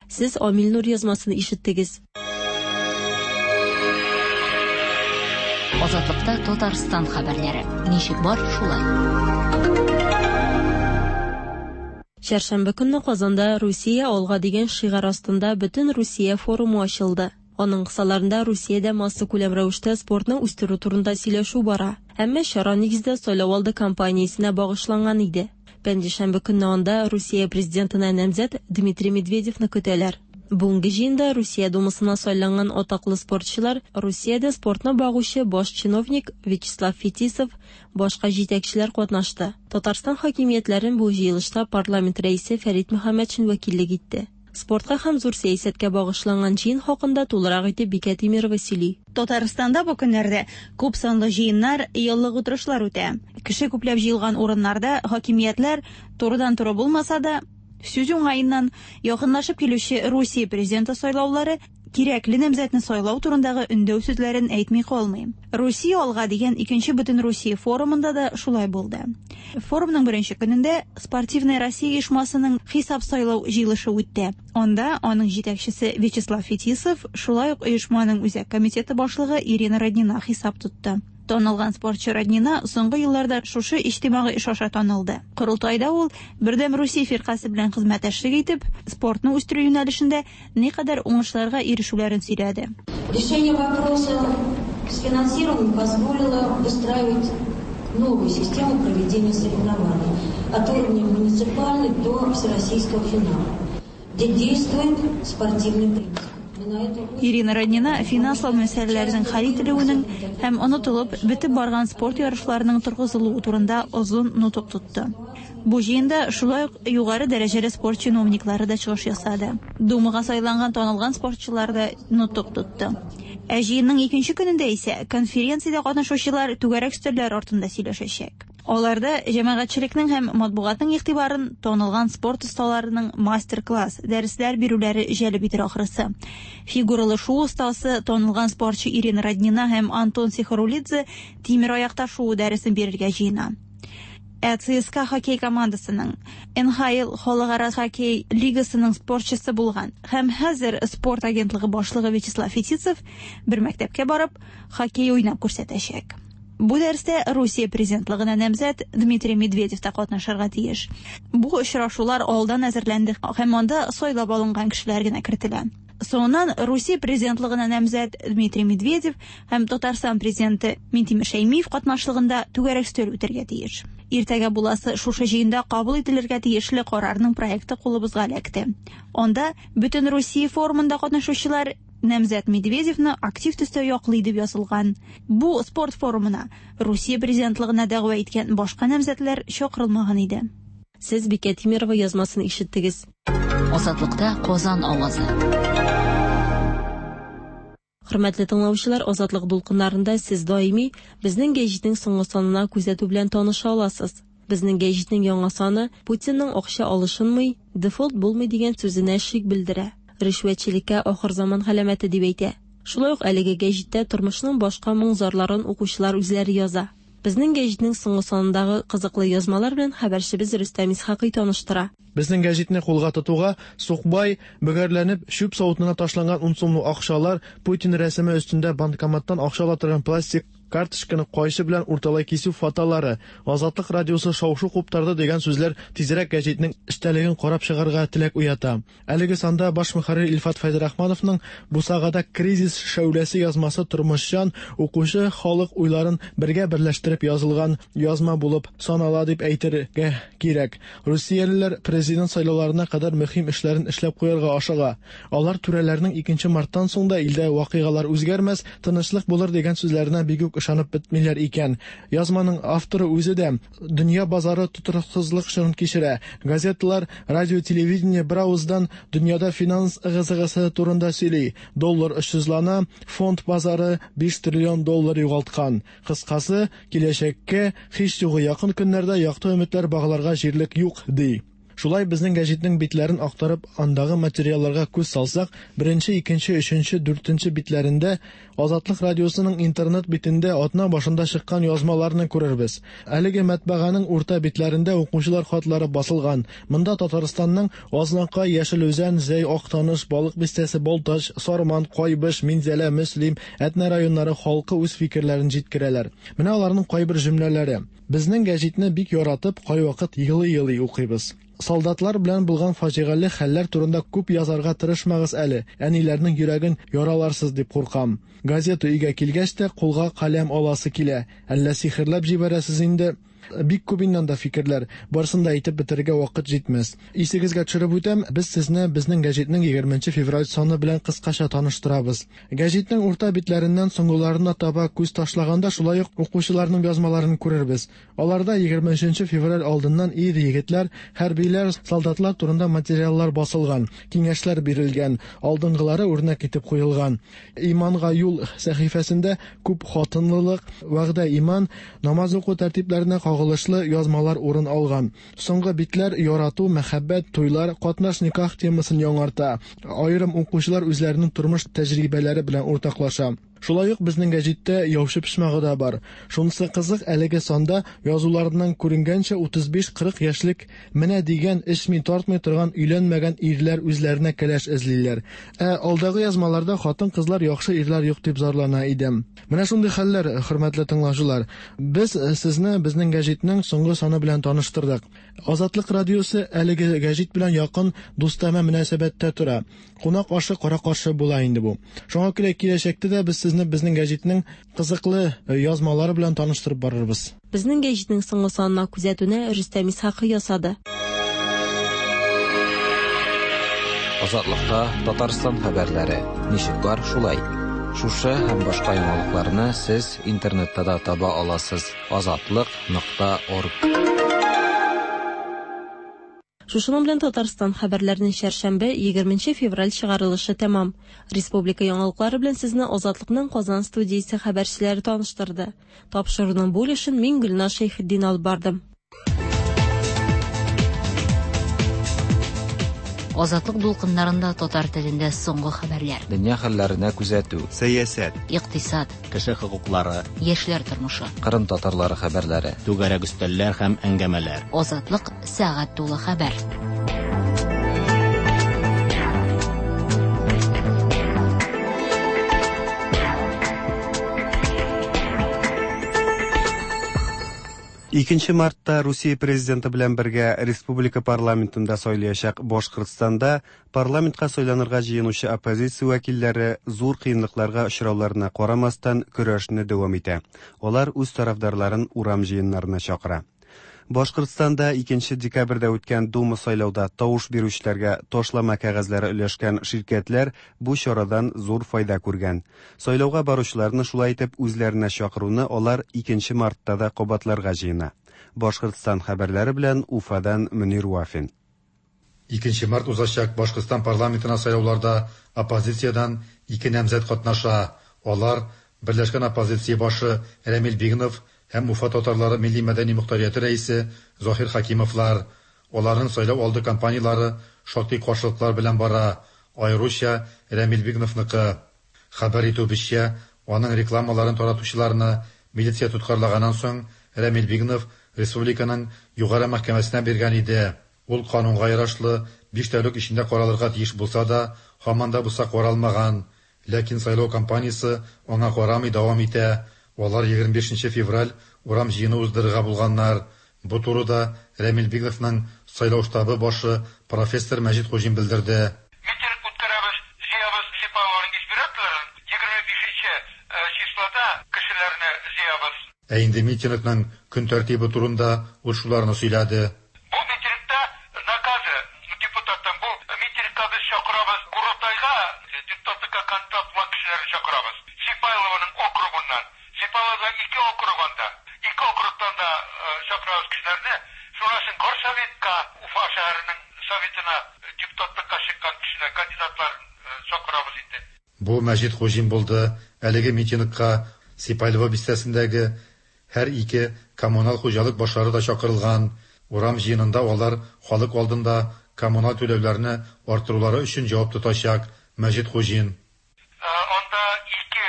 Сез Амил Нур язмасын ишеттегез. Азатлыкта Татарстан хәбәрләре. Ничек бар, шулай. Чәршәмбе көнне Казанда Русия алга дигән шигарь астында бөтен Русия форумы ачылды. Аның кысаларында Русиядә массакүләм рәвештә спортны үстерү турында сөйләшү бара. Әмма чара нигездә сайлау алды кампаниясенә багышланган иде. Пәнҗешәмбе көнне анда Русия президентына намзәт Дмитрий Медведевны көтәләр. Бүгенге җыенда Русия Думасына сайланган атаклы спортчылар, Русиядә спортны багучы баш чиновник Вячеслав Фетисов, башка җитәкчеләр катнашты. Татарстан хакимиятләрен бу җыелышта парламент рәисе Фәрит Мөхәммәтшин вәкиллек итте. Спортка һәм зур сәясәткә багышланган җыен хакында тулырак итеп Бикә Тимирова сөйли. Татарстанда бу көннәрдә күп санлы җыеннар, еллык утырышлар үтә. Кеше күпләп җыелган урыннарда хакимиятләр турыдан-туры булмаса да, сүз уңаеннан, якынлашып килүче Русия президенты сайлаулары кирәкле намзәтне сайлау турындагы өндәү сүзләрен әйтми калмый. Русия алга дигән икенче Бөтенрусия форумында да шулай булды. Форумның беренче көнендә Спортивная Россия оешмасының хисап сайлау җыелышы үтте. Анда аның җитәкчесе Вячеслав Фетисов, шулай ук оешманың үзәк комитеты башлыгы Ирина Роднина хисап тотты. Танылган спортчы Роднина соңгы елларда шушы иҗтимагый эш аша танылды. Корылтайда ул Бердәм Русия фиркасе белән хезмәттәшлек итеп, спортны үстерү юнәлешендә никадәр уңышларга ирешүләрен сөйләде. Решение вопроса с финансированием позволило выстраивать новую систему проведения соревнований от уровня муниципальной до всероссийского финала, где действует спортивный принцип. Ирина Роднина финанслау мәсьәләләренең хәл ителүенең һәм онытылып бетеп барган спорт ярышларының торгызылуы турында озын нотык тотты. Бу җыенда шулай ук югары дәрәҗәле спорт чиновниклары да чыгыш ясады. Думага сайланган танылган спортчылар да нотык тотты. Ә җыенның икенче көнендә исә конференциядә катнашучылар түгәрәк өстәлләр артында сөйләшәчәк. Аларда җәмәгатьчелекнең һәм матбугатның игътибарын танылган спорт осталарының мастер-класс, дәресләр бирүләре җәлеп итер ахрысы. Фигуралы шуу остасы, танылган спортчы Ирина Роднина һәм Антон Сихарулидзе тимер аякта шуу дәресен бирергә җыена. Ә ЦСКА хоккей командасының НХЛ халыкара хоккей лигасының спортчысы булган һәм хәзер спорт агентлыгы башлыгы Вячеслав Фетисов бер мәктәпкә барып, хоккей уйнап күрсәтәчәк. Бу дәрестә Русия президентлыгына намзәт Дмитрий Медведев та катнашырга тиеш. Бу очрашулар алдан әзерләнде һәм анда сайлап алынган кешеләр генә кертелә. Соңыннан Русия президентлыгына намзәт Дмитрий Медведев һәм Татарстан президенты Минтимер Шәймиев катнашлыгында түгәрәк өстәл үтәргә тиеш. Иртәгә буласы шушы җыенда кабул ителергә тиешле карарның проекты кулыбызга эләкте. Анда Бөтен Русия форумында катнашучылар намзәт Медведевны актив төстә яклый дип язылган. Бу спорт форумына Русия президентлыгына дәгъва иткән башка намзәтләр чакырылмаган иде. Сез Бикә Тимирова язмасын ишеттегез. Азатлыкта Казан авазы. Хөрмәтле тыңлаучылар, Азатлык дулкыннарында сез даими безнең гәҗитнең соңгы санына күзәтү белән таныша аласыз. Безнең гәҗитнең яңа саны Путинның акча алышынмый, дефолт булмый дигән сүзенә шик белдерә. Ришвәтчелеккә ахырзаман галәмәте дип әйтә. Шулай ук әлеге гәҗиттә тормышның башка моң-зарларын укучылар үзләре яза. Безнең гәҗитнең соңгы санындагы кызыклы язмалар белән хәбәрчебез Рөстәм Исхакый таныштыра. Безнең гәҗитне кулга тотуга, сукбай, бөгәрләнеп, чүп савытына ташланган ун сумлык акчалар, Путин рәсеме өстендә банкоматтан акча ала торган пластик карточканы кайчы белән урталай кисү фотолары, Азатлык радиосы шау-шу куптарды дигән сүзләр тизрәк гәҗитнең эчтәлеген карап чыгарга теләк уята. Әлеге санда баш мөхәррир Илфат Фәйзрахмановның Бусагада кризис шәүләсе язмасы тормышчан, укучы халык уйларын бергә берләштереп язылган язма булып санала дип әйтергә кирәк. Русиялеләр президент сайлауларына кадәр мөһим эшләрен эшләп куярга ашыга. Алар түрәләрнең 2 марттан соң да илдә вакыйгалар үзгәрмәс, тынычлык булыр дигән сүзләренә бик үк ышанып бетмиләр икән. Язманың авторы үзе дә дөнья базары тотрыксызлык чорын кичерә. Газеталар, радио, телевидение бер авыздан дөньяда финанс ыгы-зыгысы турында сөйли. Доллар очсызлана, фонд базары 5 триллион доллар югалткан. Кыскасы, киләчәккә һич югы якын көннәрдә якты өметләр багларга җирлек юк, ди. Шулай безнең гәҗитнең битләрен актарып, андагы материалларга күз салсак, беренче, икенче, өченче, дүртенче битләрендә Азатлык радиосының интернет битендә атна башында чыккан язмаларны күрербез. Әлеге матбаганың урта битләрендә укучылар хатлары басылган. Монда Татарстанның Азнакай, Яшел Үзән, Зәй, Актаныш, Балык Бистәсе, Балтач, Сарман, Кайбыч, Минзәлә, Мөслим, Әтнә районнары халкы үз фикерләрен җиткерәләр. Менә аларның кайбер җөмләләре. Безнең гәҗитне бик яратып, кайвакыт елый-елый укыйбыз. Солдатлар белән булган фаҗигале хәлләр турында күп язарга тырышмагыз әле, әниләрнең йөрәген яраларсыз дип куркам. Газета өйгә килгәч тә кулга каләм аласы килә. Әллә сихерләп җибәрәсез инде? Бик күп инде анда фикерләр, барысын да әйтеп бетерергә вакыт җитмәс. Исегезгә төшереп үтәм, без сезне безнең гәҗитнең 20 февраль саны белән кыскача таныштырабыз. Гәҗитнең урта битләреннән соңгыларына таба күз ташлаганда шулай ук укучыларның язмаларын күрербез. Аларда 23 февраль алдыннан ир-егетләр, хәрбиләр, солдатлар турында материаллар басылган, киңәшләр бирелгән, алдынгылары үрнәк итеп куелган. Иманга юл сәхифәсендә күп хатынлылык, вәгъдә иман, намаз уку тәртипләренә кагылышлы язмалар урын алган. Соңгы битләр ярату, мәхәббәт, туйлар, катнаш никах темасын яңарта. Аерым укучылар үзләренең тормыш тәҗрибәләре белән уртаклаша. Шулай ук безнең гәҗиттә яучы почмагы да бар. Шунысы кызык, әлеге санда язуларыннан күренгәнчә 35-40 яшьлек менә дигән эчми-тартмый торган өйләнмәгән ирләр үзләренә кәләш эзлиләр. Ә алдагы язмаларда хатын-кызлар яхшы ирләр юк дип зарлана иде. Менә шундый хәлләр, хөрмәтле тыңлаучылар. Без сезне безнең гәҗитнең соңгы саны белән таныштырдык. Азатлык радиосы әлеге гәҗит белән якын дустанә мөнәсәбәттә тора. Кунак ашы кара-каршы була инде бу. Шуңа күрә киләчәктә дә без сезне безнең гәҗитнең кызыклы язмалары белән таныштырып барырбыз. Безнең гәҗитнең соңгы санына күзәтүне Рөстәм Исхакый ясады. Азатлыкта Татарстан хәбәрләре. Ничек бар, шулай. Шушы һәм башка яңалыкларны сез интернетта да таба аласыз. Азатлык.орг. Шушының белән Татарстан хәбәрләренең чәршәмбе, 20 февраль чыгарылышы тәмам. Республика яңалыклары белән сезне Азатлыкның Казан студиясе хәбәрчеләре таныштырды. Тапшыруның бу өлешен мин Гөлназ Шәйхетдин алып бардым. Азатлык дулкыннарында татар телендә соңгы хәбәрләр. Дөнья хәлләренә күзәтү. Сәясәт. Икътисад. Кеше хокуклары. Яшьләр тормышы. Кырым татарлары хәбәрләре. Түгәрәк өстәлләр һәм әңгәмәләр. Азатлык сәгать тулы хәбәр. Икенче мартта Русия президенты белән бергә республика парламентында сайлаячак Башкортстанда парламентка сайланырга җыенучы оппозиция вәкилләре зур кыенлыкларга очрауларына карамастан көрәшне дәвам итә. Алар үз тарафдарларын урам җыеннарына чакыра. Башкортстанда 2 декабрьдә үткән Дума сайлауда тавыш бирүчеләргә ташлама кәгазьләре өләшкән ширкәтләр бу чарадан зур файда күргән. Сайлауга баручыларны шулай итеп үзләренә чакыруны алар 2 мартта да кабатларга җыена. Башкортстан хәбәрләре белән Уфадан Мөнир Вафин. 2 март узачак Башкортстан парламентына сайлауларда оппозициядән ике намзәт катнаша. Алар Берләшкән оппозиция башы Рәмил Бигнов һәм Уфа татарлары милли мәдәни мохтарияте рәисе Заһир Хакимовлар. Аларның сайлау алды кампанияләре шактый каршылыклар белән бара, аеруча Рәмил Бигновныкы. Хәбәр итүебезчә, аның рекламаларын таратучыларны милиция тоткарлаганнан соң Рәмил Бигнов республиканың югары мәхкәмәсенә биргән иде. Ул канунга ярашлы 5 тәүлек эчендә каралырга тиеш булса да, һаман да булса каралмаган. Ләкин сайлау кампаниясе аңа карамый дәвам итә. Алар 25 февраль урам җыены уздырырга булганнар. Бу турыда Рәмил Бигновның сайлау штабы башы профессор Мәҗит Хуҗин белдерде. Митинг үткәрәбез, җыябыз Сипайлованың избирательләрен, 25 числода кешеләрне җыябыз. Ә инде митингның көн тәртибе турында ул шуларны сөйләде. Бу митингта наказы депутаттан, бу митингка без чакырабыз Курултайга депутатлыкка кандидат булган кешеләрне чакырабыз. Сипайлованың округыннан. Сипайловада ике округ анда. Ике округтан да чакырабыз кешеләрне. Шуннан соң Горсоветка, Уфа шәһәренең советына депутатлыкка чыккан кешеләр, кандидатларын чакырабыз инде. Бу Мәҗит Хуҗин булды. Әлеге митингка Сипайлово бистәсендәге һәр ике коммуналь хуҗалык башлары да чакырылган. Урам җыенында алар халык алдында коммуналь түләүләрне арттырулары өчен җавап тотачак. Мәҗит Хуҗин. Анда ике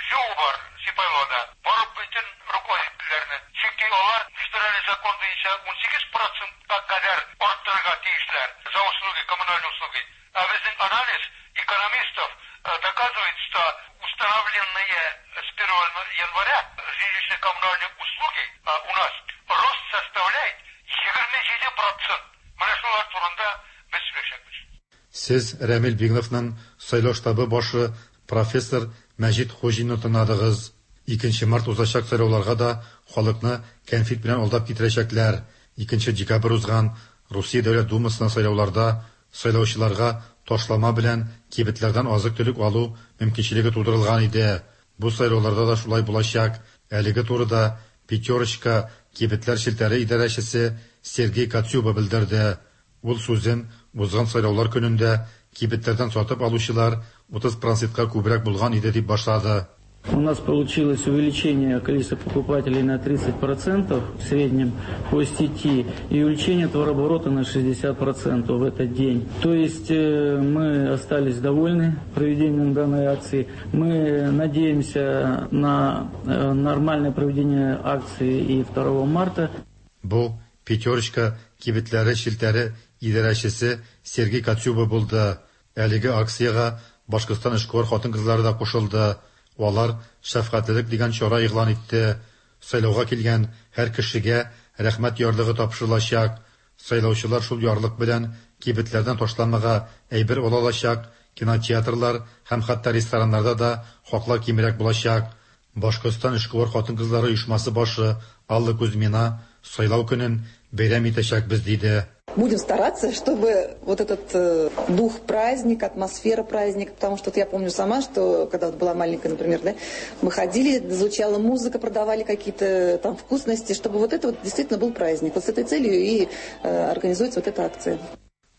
ЖЭУ бар Сипайловада. Барып бөтен руководительләрне. Чөнки алар федераль закон буенча 18%-ка кадәр арттырырга тиешләр за услуги, коммунальные услуги. А безнең анализ экономистов доказывает, что установленные с 1 января жилищно-коммунальные услуги у нас рост составляет 27%. Менә шулар турында без сөйләшәбез. Сез Рәмил Бигновның сайлау штабы башы профессор Мәҗит Хуҗинны тыңладыгыз. 2 март узачак сайлауларга да халыкны кәнфит белән алдап китерәчәкләр. 2 декабрь узган Русия Дәүләт Думасына сайлауларда сайлаучыларга ташлама белән кибетләрдән азык-төлек алу мөмкинчелеге тудырылган иде. Бу сайлауларда да шулай булачак. Әлеге турыда Пятерочка кибетләр челтәре идарәчесе Сергей Коцюба белдерде. Ул сүзен узган сайлаулар көнендә кибетләрдән сатып алучылар 30 процентка күбрәк булган иде дип башлады. У нас получилось увеличение количества покупателей на 30% в среднем по сети и увеличение товарооборота на 60% в этот день. То есть мы остались довольны проведением данной акции. Мы надеемся на нормальное проведение акции и 2 марта. Бу Пятерочка кибетләре челтәре идарәчесе Сергей Коцюба булды. Әлеге акциягә Башкортстан эшкуар хатын-кызлары да кушылды. Алар шәфкатьлелек дигән чара игълан итте. Сайлауга килгән һәр кешегә рәхмәт ярлыгы тапшырылачак. Сайлаучылар шул ярлык белән кибетләрдән ташламага әйбер ала алачак, кинотеатрлар һәм хәтта рестораннарда да хаклар кимрәк булачак. Башкортстан эшкуар хатын-кызлары оешмасы башы Алла Кузьмина сайлау көнен бәйрәм итәчәкбез диде. Будем стараться, чтобы вот этот дух праздника, атмосфера праздника, потому что вот я помню сама, что когда вот была маленькая, например, да, мы ходили, звучала музыка, продавали какие-то там вкусности, чтобы вот это вот действительно был праздник. Вот с этой целью и организуется вот эта акция.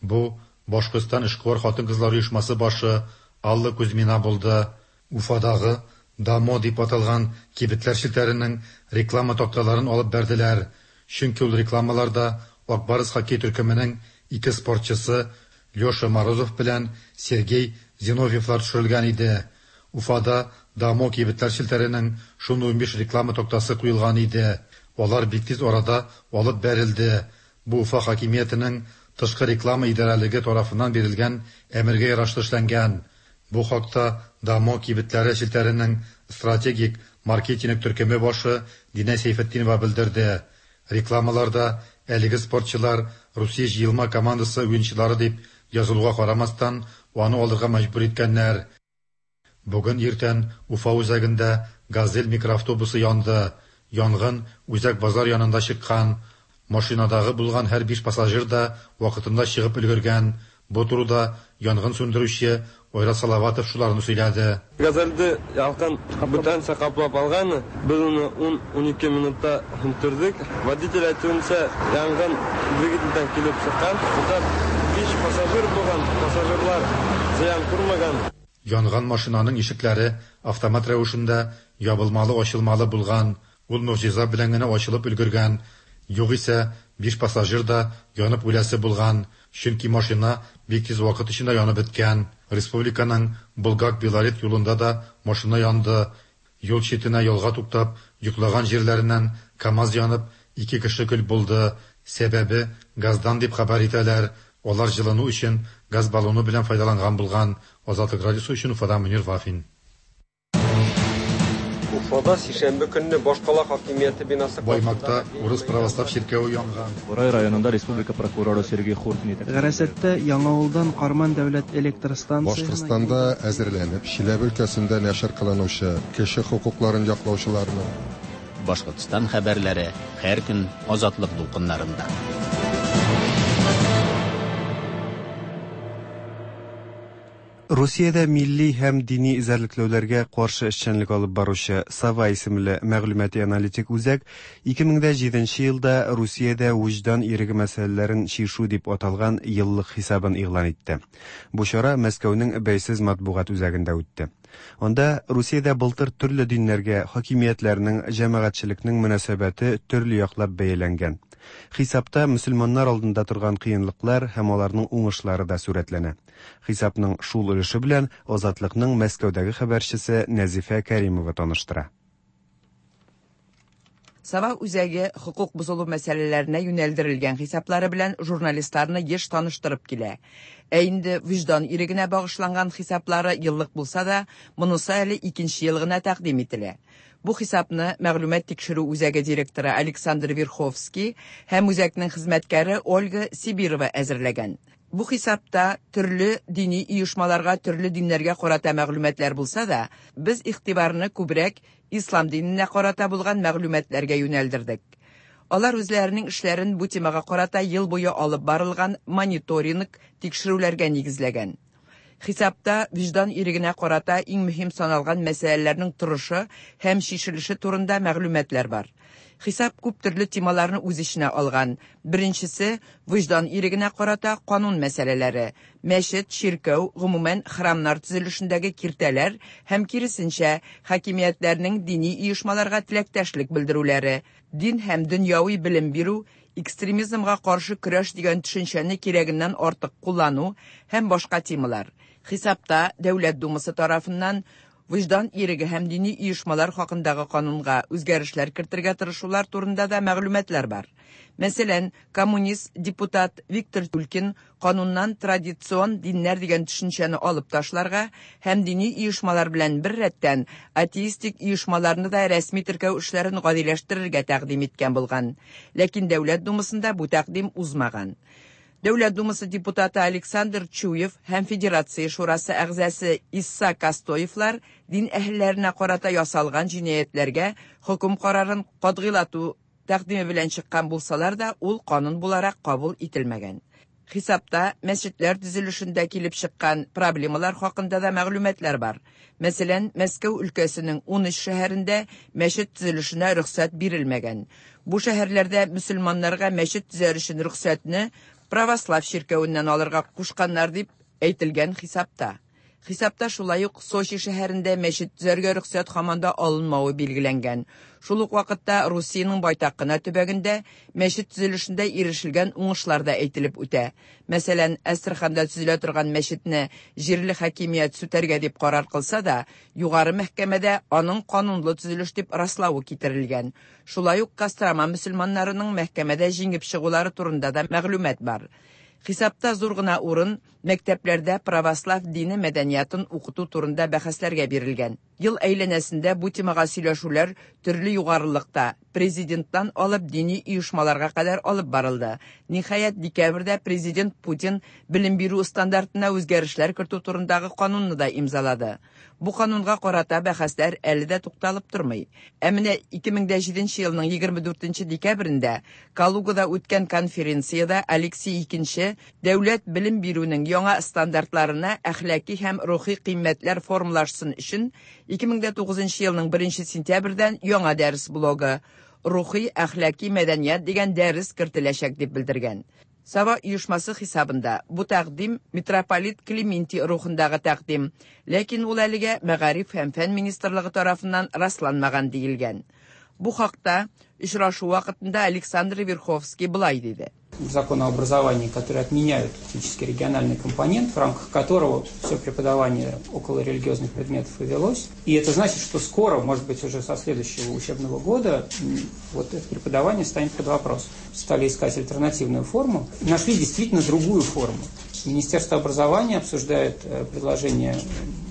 Бу Башкортстан эшкуар хатын-кызлар оешмасы башы Алла Кузьмина булды. Уфадагы Дамо дип аталган кибетләр челтәренең реклама такталарын алып бәрделәр. Чөнки ул рекламаларда Ак Барс хоккей төркеменең ике спортчысы Леша Морозов белән Сергей Зиновьевлар төшерелгән иде. Уфада Дамо кибетләр челтәренең шундый 15 реклама тактасы куелган иде. Алар бик тиз арада алып бәрелде. Бу Уфа хакимиятенең тышкы реклама идарәлеге тарафыннан бирелгән әмергә ярашлы эшләнгән. Бу хакта Дамо кибетләре челтәренең стратегик маркетинг төркеме башы Динә Сәйфетдинова белдерде. Рекламаларда әлеге спортчылар Русия җыелма командасы уенчылары дип язылуга карамастан, аны алырга мәҗбүр иткәннәр. Бүген иртән Уфа үзәгендә «Газель» микроавтобусы янды. Янгын үзәк базар янында чыккан. Машинадагы булган һәр 5 пассажир да вакытында чыгып өлгергән. Бу турыда янгын сүндерүче Айрат Салаватов шуларны сөйләде. Газельде ялкын бүтәнчә каплап алган. Без аны 10-12 минутта сүндердек. Водитель әйтүенчә, янгын двигательдән килеп чыккан. Монда 5 пассажир булган, пассажирлар зыян күрмәгән. Янган машинаның ишекләре автомат рәвешендә ябылмалы-ачылмалы булган. Ул могҗиза белән генә ачылып өлгергән. Югыйсә, 5 пассажир да янып үләсе булган, чөнки машина бик тиз вакыт эчендә янып беткән. Республиканың Булгак-Белорет юлында да машина янды. Юл читенә ялга туктап, йоклаган җирләреннән КАМАЗ янып, 2 кеше көл булды. Сәбәбе газдан дип хәбәр итәләр. Алар җылыну өчен газ баллоны белән файдаланган булган. Азатлык радиосы өчен Уфадан Мөнир Вафин. Уфада сишәмбе көнне башкала хакимияте бинасы Баймакта урыс православ чиркәве янган. Бурай районында республика прокуроры Сергей Хуртин Гарәсәттә Яңавылдан Карман дәүләт электр станциясенә Башкортстанда әзерләнеп, Чиләбе өлкәсендә нәшер кылынучы кеше хокукларын яклаучыларның Башкортстан хәбәрләре һәр көн Азатлык дулкыннарында. Русиядә милли һәм дини эзәрлекләүләргә каршы эшчәнлек алып баручы Сова исемле мәгълүмати аналитик үзәк 2007 елда Русиядә вөҗдан иреге мәсьәләләрен чишү дип аталган еллык хисабын игълан итте. Бу чара Мәскәүнең бәйсез матбугат үзәгендә үтте. Анда Русиядә былтыр төрле диннәргә хакимиятләрнең, җәмәгатьчелекнең мөнәсәбәте төрле яклап бәяләнгән. Хисапта мөселманнар алдында торган кыенлыклар һәм аларның уңышлары да сурәтләнә. Хисапның шул өлеше белән Азатлыкның Мәскәүдәге хәбәрчесе Нәзифә Кәримова таныштыра. Сова үзәге хокук бозылу мәсьәләләренә юнәлдерелгән хисаплары белән журналистларны еш таныштырып килә. Ә инде вөҗдан ирегенә багышланган хисаплары еллык булса да, монысы әле икенче ел гына тәкъдим ителә. Бу хисапны мәгълүмат тикшерү үзәге директоры Александр Верховский һәм үзәкнең хезмәткәре Ольга Сибирова әзерләгән. Бу хисапта төрле дини оешмаларга, төрле диннәргә карата мәгълүматлар булса да, без игътибарны күбрәк ислам диненә карата булган мәгълүматларга юнәлдердек. Алар үзләренең эшләрен бу темага карата ел буе алып барылган мониторинг тикшерүләргә нигезләгән. Хисапта вөҗдан ирегенә карата иң мөһим саналган мәсьәләләрнең торышы һәм чишелеше турында мәгълүматлар бар. Хисап күп төрле темаларны үз эченә алган. Беренчесе вөҗдан ирегенә карата канун мәсьәләләре, мәчет, чиркәү, гомумән храмнар төзелешендәге киртәләр һәм киресенчә, хакимиятләрнең дини оешмаларга теләктәшлек белдерүләре, дин һәм дөньяви белем бирү, экстремизмга каршы көрәш дигән төшенчәне кирәгеннән артык куллану һәм башка темалар. Хисапта Дәүләт Думасы тарафыннан вөҗдан иреге һәм дини оешмалар хакындагы канунга үзгәрешләр кертергә тырышулар турында да мәгълүматлар бар. Мәсәлән, коммунист депутат Виктор Тюлькин кануннан традицион диннәр дигән төшенчәне алып ташларга һәм дини оешмалар белән бер рәттән атеистик оешмаларны да рәсми теркәү эшләрен гадиләштерергә тәкъдим иткән булган. Ләкин Дәүләт Думасында бу тәкъдим узмаган. Дәүләт Думасы депутаты Александр Чуев һәм Федерация Шурасы әгъзасы Исса Костоевлар дин әһелләренә карата ясалган җинаятьләргә хөкем карарын катгыйлату тәкъдиме белән чыккан булсалар да, ул канун буларак кабул ителмәгән. Хисапта мәчетләр төзелешендә килеп чыккан проблемалар хакында да мәгълүматлар бар. Мәсәлән, Мәскәү өлкәсенең 13 шәһәрендә мәчет төзелешенә рөхсәт бирелмәгән. Бу шәһәрләрдә мөселманнарга мәчет төзәр өчен рөхсәтне православ чиркәвеннән алырга кушканнар дип әйтелгән хисапта. Хисапта шулай ук Сочи шәһәрендә мәчет төзәргә рөхсәт һаман да алынмавы билгеләнгән. Шул ук вакытта Русиянең байтак кына төбәгендә мәчет төзелешендә ирешелгән уңышлар да әйтелеп үтә. Мәсәлән, Әстерханда төзелә торган мәчетне җирле хакимият сүтәргә дип карар кылса да, югары мәхкәмәдә аның канунлы төзелеш дип раславы китерелгән. Шулай ук Кострома мөселманнарының мәхкәмәдә җиңеп чыгулары турында да мәгълүмат бар. Хисапта зур гына урын мәктәпләрдә православ дине мәдәниятын укыту турында бәхәсләргә бирелгән. Ел әйләнәсендә бу темага сөйләшүләр төрле югарылыкта, президенттан алып дини оешмаларга кадәр алып барылды. Ниһаять, декабрьдә президент Путин белем бирү стандартына үзгәрешләр кертү турындагы канунны да имзалады. Бу канунга карата бәхәсләр әле дә тукталып тормый. Ә менә 2007 елның 24 декабрендә Калугада үткән конференциядә Алексей II дәүләт белем бирүнең яңа стандартларына әхлаки һәм рухи кыйммәтләр формалашсын өчен 2009 елның 1 сентябрьдән яңа дәрес блогы Рухи әхлаки мәдәният дигән дәрес кертеләчәк дип белдергән. Сава оешмасы хисабында бу тәкъдим митрополит Клементий рухындагы тәкъдим, ләкин ул әлегә Мәгариф һәм фән министрлыгы тарафыннан расланмаган диелгән. Бу хакта очрашу вакытында Александр Верховский былай диде. Закон о образовании, который отменяют фактически региональный компонент, в рамках которого все преподавание около религиозных предметов и велось. И это значит, что скоро, может быть, уже со следующего учебного года, вот это преподавание станет под вопрос. Стали искать альтернативную форму, нашли действительно другую форму. Министерство образования обсуждает предложение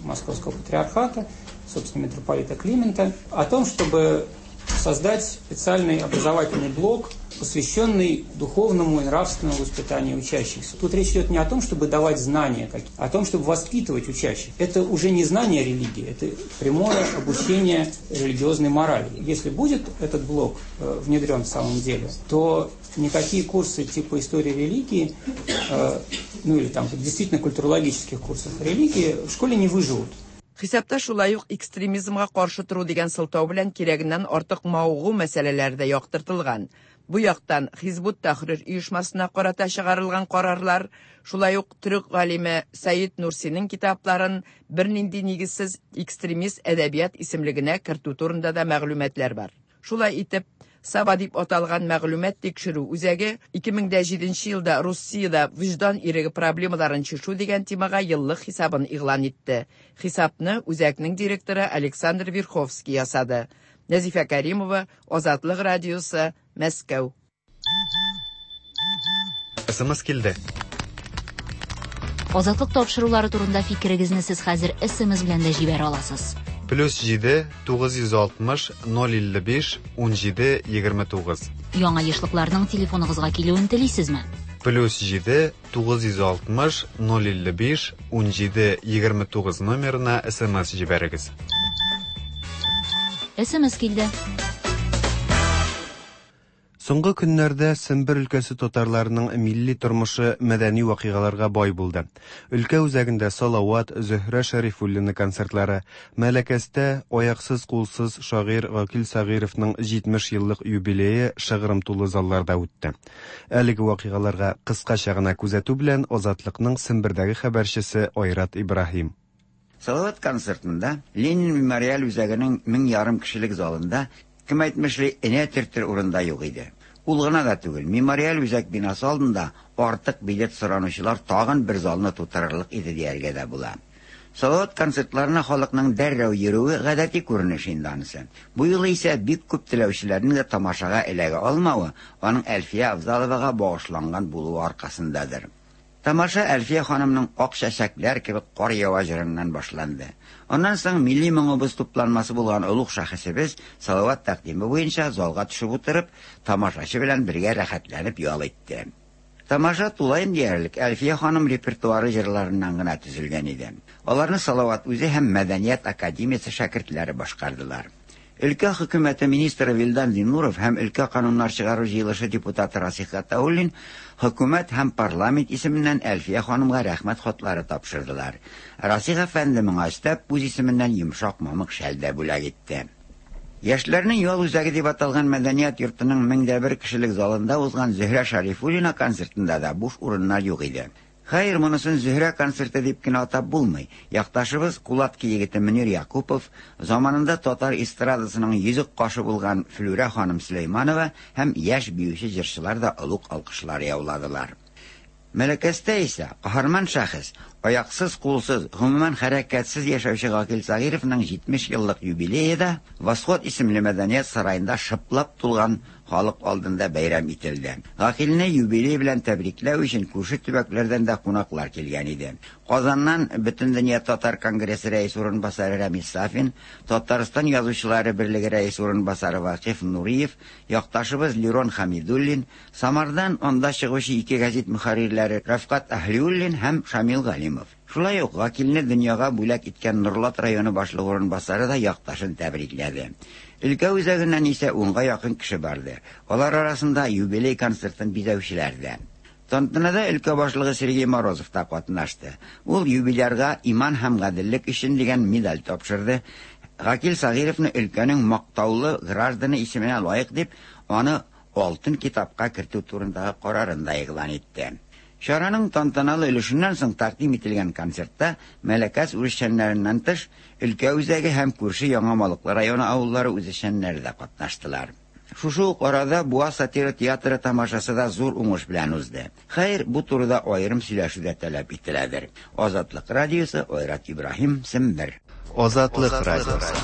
Московского патриархата, собственно, митрополита Климента, о том, чтобы создать специальный образовательный блок, посвященный духовному и нравственному воспитанию учащихся. Тут речь идет не о том, чтобы давать знания, а о том, чтобы воспитывать учащих. Это уже не знание религии, это прямое обучение религиозной морали. Если будет этот блок внедрен в самом деле, то никакие курсы типа истории религии, ну или там действительно культурологических курсов религии в школе не выживут. Хисапта шулай ук экстремизмга каршы тору дигән сылтау белән кирәгеннән артык мавыгу мәсьәләләре дә яктыртылган. Бу яктан Хизбут Тахрир оешмасына карата чыгарылган карарлар, шулай ук төрек галиме Сәид Нурсиның китапларын бернинди нигезсез экстремист әдәбият исемлегенә кертү турында да мәгълүматлар бар. Шулай итеп, Сава дип аталган мәгълүмат тикшерү үзәге 2007 елда Русиядә вөҗдан иреге проблемаларын чишү дигән темага еллык хисабын игълан итте. Хисапны үзәкнең директоры Александр Верховский ясады. Нәзифә Каримова, Азатлык радиосы, Мәскәү. СМС килде. Азатлык тапшырулары турында фикерегезне сез хәзер СМС белән дә җибәрә аласыз. Плюс 7 960 055 17 29. Яңа ешлыкларның телефоныгызга килүен телисезме? Плюс 7 960 055 17 29 номерына СМС җибәрегез. СМС килде. Соңгы көннәрдә Сембер өлкәсе татарларының милли тормышы мәдәни вакыйгаларга бай булды. Өлкә үзәгендә Салават, Зөһрә Шәрифуллина концертлары, Мәләкәстә аяксыз-кулсыз шагыйрь Гакил Сәгыйровның 70 еллык юбилее шыгрым тулы залларда үтте. Әлеге вакыйгаларга кыскача гына күзәтү белән Азатлыкның Сембердәге хәбәрчесе Айрат Ибраһим. Салават концертында Ленин мемориаль үзәгенең 1500 кешелек залында, кем әйтмешли, энә төртер урын да юк иде. Ул гына да түгел, мемориаль үзәк бинасы алдында артык билет соранучылар тагын бер залны тутырырлык иде дияргә дә була. Салават концертларына халыкның дәррәү йөрүе гадәти күренеш инде анысы. Бу юлы исә бик күп теләүчеләрнең дә тамашага эләгә алмавы аның Әлфия Авзаловага багышланган булуы аркасындадыр. Тамаша Әлфия ханымның Ак чәчәкләр кебек кар ява җырыннан башланды. Аннан соң милли моңыбыз тупланмасы булган олуг шәхесебез Салават тәкъдиме буенча залга төшеп утырып, тамашачы белән бергә рәхәтләнеп ял итте. Тамаша тулаем диярлек Әлфия ханым репертуары җырларыннан гына төзелгән иде. Аларны Салават үзе һәм Мәдәният академиясе шәкертләре башкардылар. Өлкә хөкүмәте министры Вилдан Зиннуров һәм өлкә кануннар чыгару җыелышы депутаты Расих Гатауллин хөкүмәт һәм парламент исеменнән Әлфия ханымга рәхмәт хатлары тапшырдылар. Расих әфәнде моңа өстәп, үз исеменнән йомшак мамык шәл дә бүләк итте. Яшьләрнең ял үзәге дип аталган мәдәният йортының 1001 кешелек залында узган Зөһрә Шәрифуллина концертында да буш урыннар юк иде. Хәер, монысын Зөһрә концерты дип кенә атап булмый. Якташыбыз, Кулатки егете Мөнир Якупов, заманында татар эстрадасының йөзек кашы булган Флүрә ханым Сөләйманова һәм яшь биюче-җырчылар да олуг алкышлар яуладылар. Мәләкәстә исә каһарман шәхес, аяксыз-кулсыз, гомумән хәрәкәтсез яшәүче Гакил Сәгыйровның 70 еллык юбилее да Восход исемле мәдәният сараенда шыплап тулган халык алдында бәйрәм ителде. Гакилне юбилей белән тәбрикләү өчен күрше төбәкләрдән дә кунаклар килгән иде. Казаннан Бөтендөнья татар конгрессы рәис урынбасары Рәмис Сафин, Татарстан Язучылары берлеге рәис урынбасары Вакыйф Нуриев, якташыбыз Лирон Хәмидуллин, Самардан анда чыгучы ике гәзит мөхәррирләре Рәфкать Әһлиуллин һәм Шамил Галимов. Шулай ук Гакилне дөньяга бүләк иткән Норлат районы башлыгы урынбасары да якташын тәбрикләде. Өлкә үзәгеннән исә унга якын кеше барды. Алар арасында юбилей концертын бизәүчеләр дә. Тантанада өлкә башлыгы Сергей Морозов та катнашты. Ул юбилярга Иман һәм гаделлек өчен дигән медаль тапшырды. Гакил Сәгыйровны өлкәнең мактаулы гражданы исеменә лаек дип, аны Алтын китапка кертү турындагы карарын да игълан итте. Чараның тантаналы өлешеннән соң тәкъдим ителгән концертта Мәләкәс үзешчәннәреннән тыш, өлкә үзәге һәм күрше Яңа Малыклы районы авыллары үзешчәннәре дә катнаштылар. Шушы ук арада Буа сатира театры тамашасы да зур уңыш белән узды. Хәер, бу турыда аерым сөйләшү дә таләп ителәдер. Азатлык радиосы, Айрат Ибраһим, Сембер. Азатлык радиосы.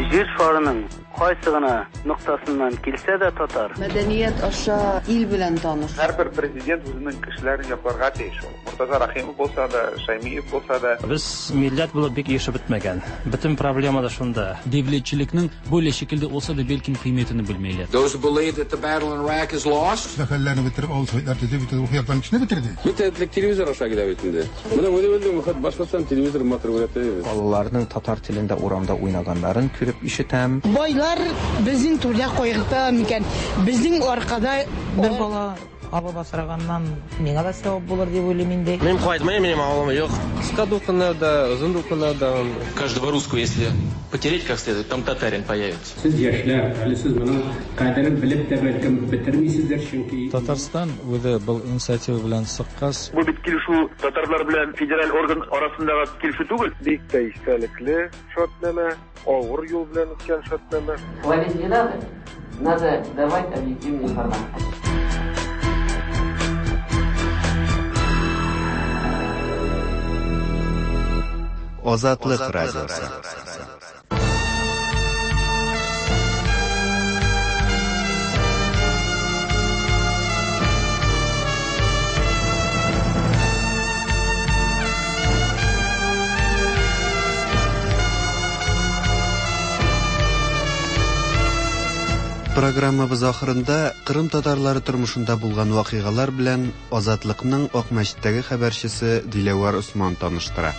Җир шарының кайсы гына ноктасыннан килсә дә татар. Мәдәният аша ил белән таныш. Һәрбер президент үзенең кешеләрен якларга тиеш ул. Мортаза Рәхимов булса да, Шәймиев булса да. Без милләт булып бик ирешеп бетмәгән. Бөтен проблема да шунда. Девлетчелекнең бөйле шикелде olsa да белким кыйметini белмейләр. Those who believe that the battle in Iraq is lost. Мәхәлләне бетереп, авыл советлар төзеп, бөтен рухи яктан кешене бетерде. Бит элек телевизор аша килә бит инде. Менә үзебезнең вакыт Башкортстан телевизор матур күрәтә. Балаларның татар телендә урамда уйнаганнарын күреп ишетәм. Байлар безнең түрдә кайгырта микән? Безнең аркада бер бала алып асраганнан миңа да сәвап булыр дип уйлыйм инде. Мин кайтмыйм, минем авылым юк. Кыска дулкыннар да, озын дулкыннар да. Каждого русского, если потереть как следует, там татарин появится. Сез яшьләр, әле сез моның кадерен белеп тә бәлкем бетермисездер, чөнки Татарстан үзе был инициатива белән чыккач. Бу бит килешү татарлар белән федераль орган арасындагы килешү түгел. Бик тә истәлекле шартнамә, авыр юл белән үткән шартнамә. Хвалить не надо, надо давать объективную информацию. Азатлык радиосы. Программабыз ахырында Кырым татарлары тормышында булган вакыйгалар белән Азатлыкның Акмәчеттәге хәбәрчесе Диләвәр Осман таныштыра.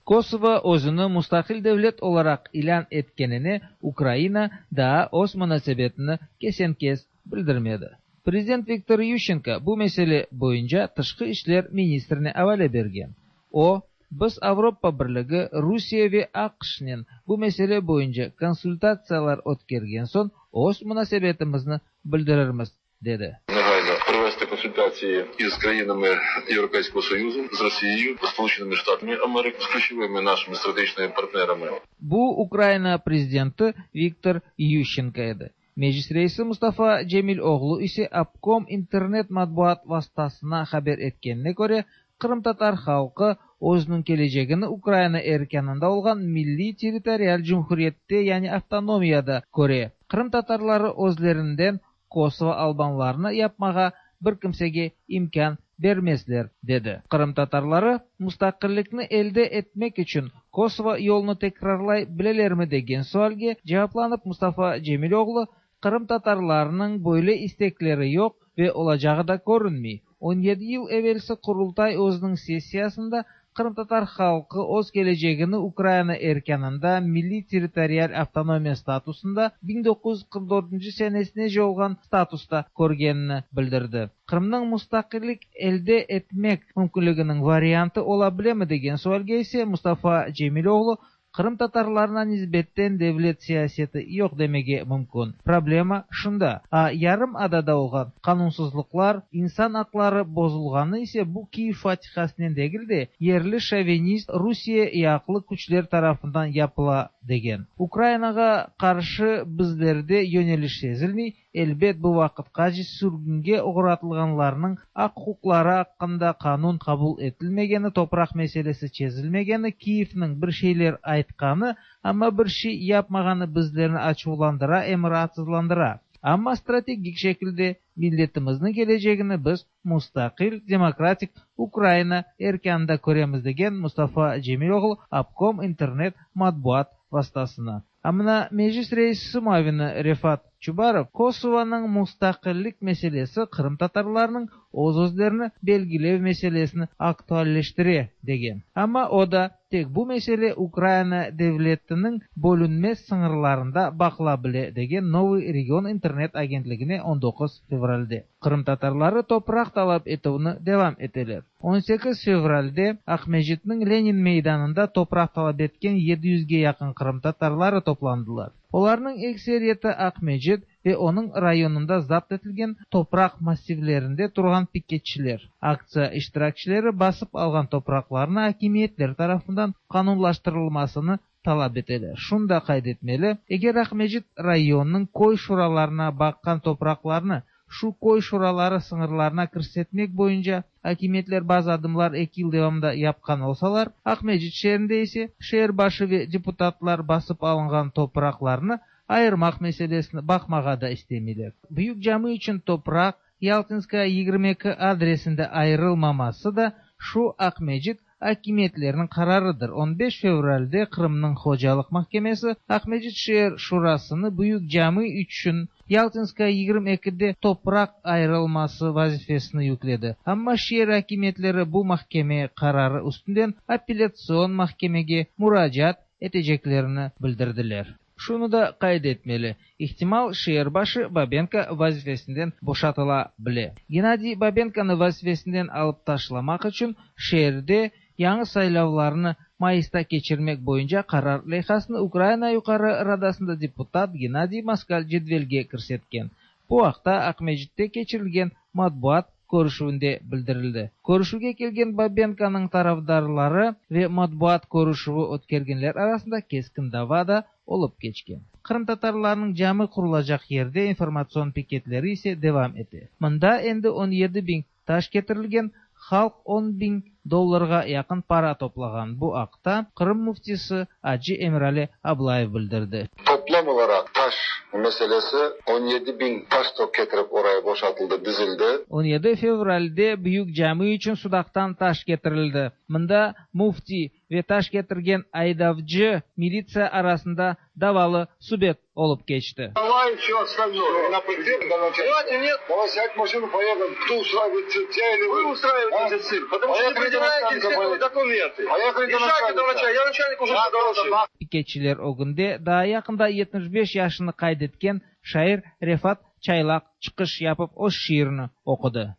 Kosovo özüni mustaqil devlet olaraq ilân etkenine Ukraina daa öz munasebetini kesen-kes bildirmedi. Prezident Viktor Yuşçenko bu mesele boyunca tışqı işler ministrine avale bergen. O, Biz Avropa Birligi, Rusiye ve AQŞnen bu mesele boyunca konsultatsiyalar ötkergen soñ öz munasebetimizni bildirirmiz, dedi. Негайно провести консультації із країнами Європейського Союзу, з Росією, Сполученими Штатами Америки, з ключовими нашими стратегічними партнерами. Bu Ukraina prezidenti Viktor Yuşçenko edi. Meclis reisi Mustafa Cemiloğlu ise Obkom internet matbuat vastasına haber etkenine köre, qırımtatar halqı özüniñ kelecegini Ukraina erkânında olğan milliy-territorial cumhuriyette yani avtonomiyada köre. Qırımtatarları özlerinden Kosovo albanlarını yapmağa bir kimsege imkân bermezler, dedi. Qırımtatarları mustaqillikni elde etmek içün Kosovo yolunı tekrarlay bilelermi degen sualge cevaplanıp Mustafa Cemiloğlu, Qırımtatarlarnıñ böyle istekleri yoq ve olacağı da körünmey. 17 yıl evelsi Qurultay özüniñ sessiyasında qırımtatar halqı öz kelecegini Ukraina erkânında milliy-territorial avtonomiya statusında 1944 senesinece olğan statusta körgenini bildirdi. Qırımnıñ mustaqillik elde etmek mümkünliginiñ variantı ola bilemi degen sualge ise Mustafa Cemiloğlu Qırımtatarlarına nisbetten devlet siyaseti yoq demege mümkün. Problema şunda. A yarımadada olğan qanunsızlıqlar, insan aqları bozulğanı ise bu Kiyev fatihasınen degil de, yerli şovinist Rusiye yaqlı küçler tarafından yapıla, degen. Ukrainağa qarşı bizlerde yöneliş sezilmey, Elbet, bu vaqıtqace sürgünge oğratılğanlarnıñ aq-uquqları aqqında qanun qabul etilmegeni, topraq meselesi çezilmegeni, Kiyevniñ bir şeyler aytqanı, amma bir şey yapmağanı bizlerni açuvlandıra em raatsızlandıra. Amma strategik şekilde milletimizniñ kelecegini biz mustaqil, demokratik Ukraina erkânında köremiz, degen Mustafa Cemiloğlu Obkom internet matbuat vastasına. A mına Meclis reisi muavini Refat Çubarov Kosovonıñ mustaqillik meselesi qırımtatarlarnıñ öz-özlerini belgilev meselesini aktualleştire, degen. Amma o da tek bu mesele Ukraina devletiniñ bölünmez sıñırlarında baqıla bile, degen Novıy region internet agentligine 19 fevralde. Qırımtatarları topraq talap etüvni devam eteler. 18 fevralde Aqmescitniñ Lenin meydanında topraq talap etken 700ge yaqın qırımtatarları toplandılar. Olarnıñ ekseriyeti Aqmescit ve onıñ rayonında zapt etilgen topraq massivlerinde turğan piketçiler. Aktsiya iştirakçileri basıp alğan topraqlarnı akimiyetler tarafından qanunlaştırılmasını talap eteler. Şunı da qayd etmeli, eger Aqmescit rayonınıñ köy şuralarına baqqan topraqlarnı şu köy şuraları sıñırlarına kirsetmek boyunca akimiyetler bazı adımlar eki yıl devamında yapqan olsalar, Aqmescit şeerinde ise şeer başı ve deputatlar basıp alınğan topraqlarnı ayırmaq meselesini baqmağa da istemeyler. Büyük cami içün topraq Yaltinskaya 22 adresinde ayırılmaması da şu Aqmescit akimiyetleriniñ qararıdır. 15 fevralde Qırımnıñ Hocalıq mahkemesi Aqmescit şeer şurasını Büyük cami içün Yaltinskaya 22de topraq ayırılması vazifesini yükledi. Amma şeer akimiyetleri bu mahkeme qararı üstünden apellâtsion mahkemege muracaat eteceklerini bildirdiler. Şunı da qayd etmeli, ihtimal, şeer başı Babenko vazifesinden boşatıla bile. Gennadiy Babenkonı vazifesinden alıp taşlamaq içün şeerde yañı saylavlarnı mayısta keçirmek boyunca qarar leyhasını Ukraina Yuqarı Radasında deputat Gennadiy Moskal cedvelge kirsetken. Bu aqta Aqmescitte keçirilgen matbuat körüşüvinde bildirildi. Körüşüvge kelgen Babenkonıñ tarafdarları ve matbuat körüşüvi ötkergenler arasında keskin dava da olıp keçken. Qırımtatarlarnıñ cami qurulacaq yerde informatsion piketleri ise devam ete. Mında endi 17 biñ taş ketirilgen, halq 10 biñ dollarğa yaqın para toplağan. Bu aqta Qırım müftisi acı Emirali Ablayev bildirdi. Toplam olaraq taş meselesi 17 bin taş getirip oraya boşaltıldı, dizildi. 17 fevralde büyük cami içün Sudaqtan taş ketirildi. Mında müfti ve taş ketirgen aydavcı militsiya arasında davalı subet olıp keçti. Давай все остальное. На Давайте нет. Давай сядь в машину, поехали. Кто устраивает цирк? Я или вы? Вы устраиваете цирк, потому что не принимаете все документы. Поехали до начальника. Я начальник уже доложил. Piketçiler ögünde daa yaqında 75 yaşını qayd etken şair Refat Çaylaq çıqış yapıp öz şiirini oqudı.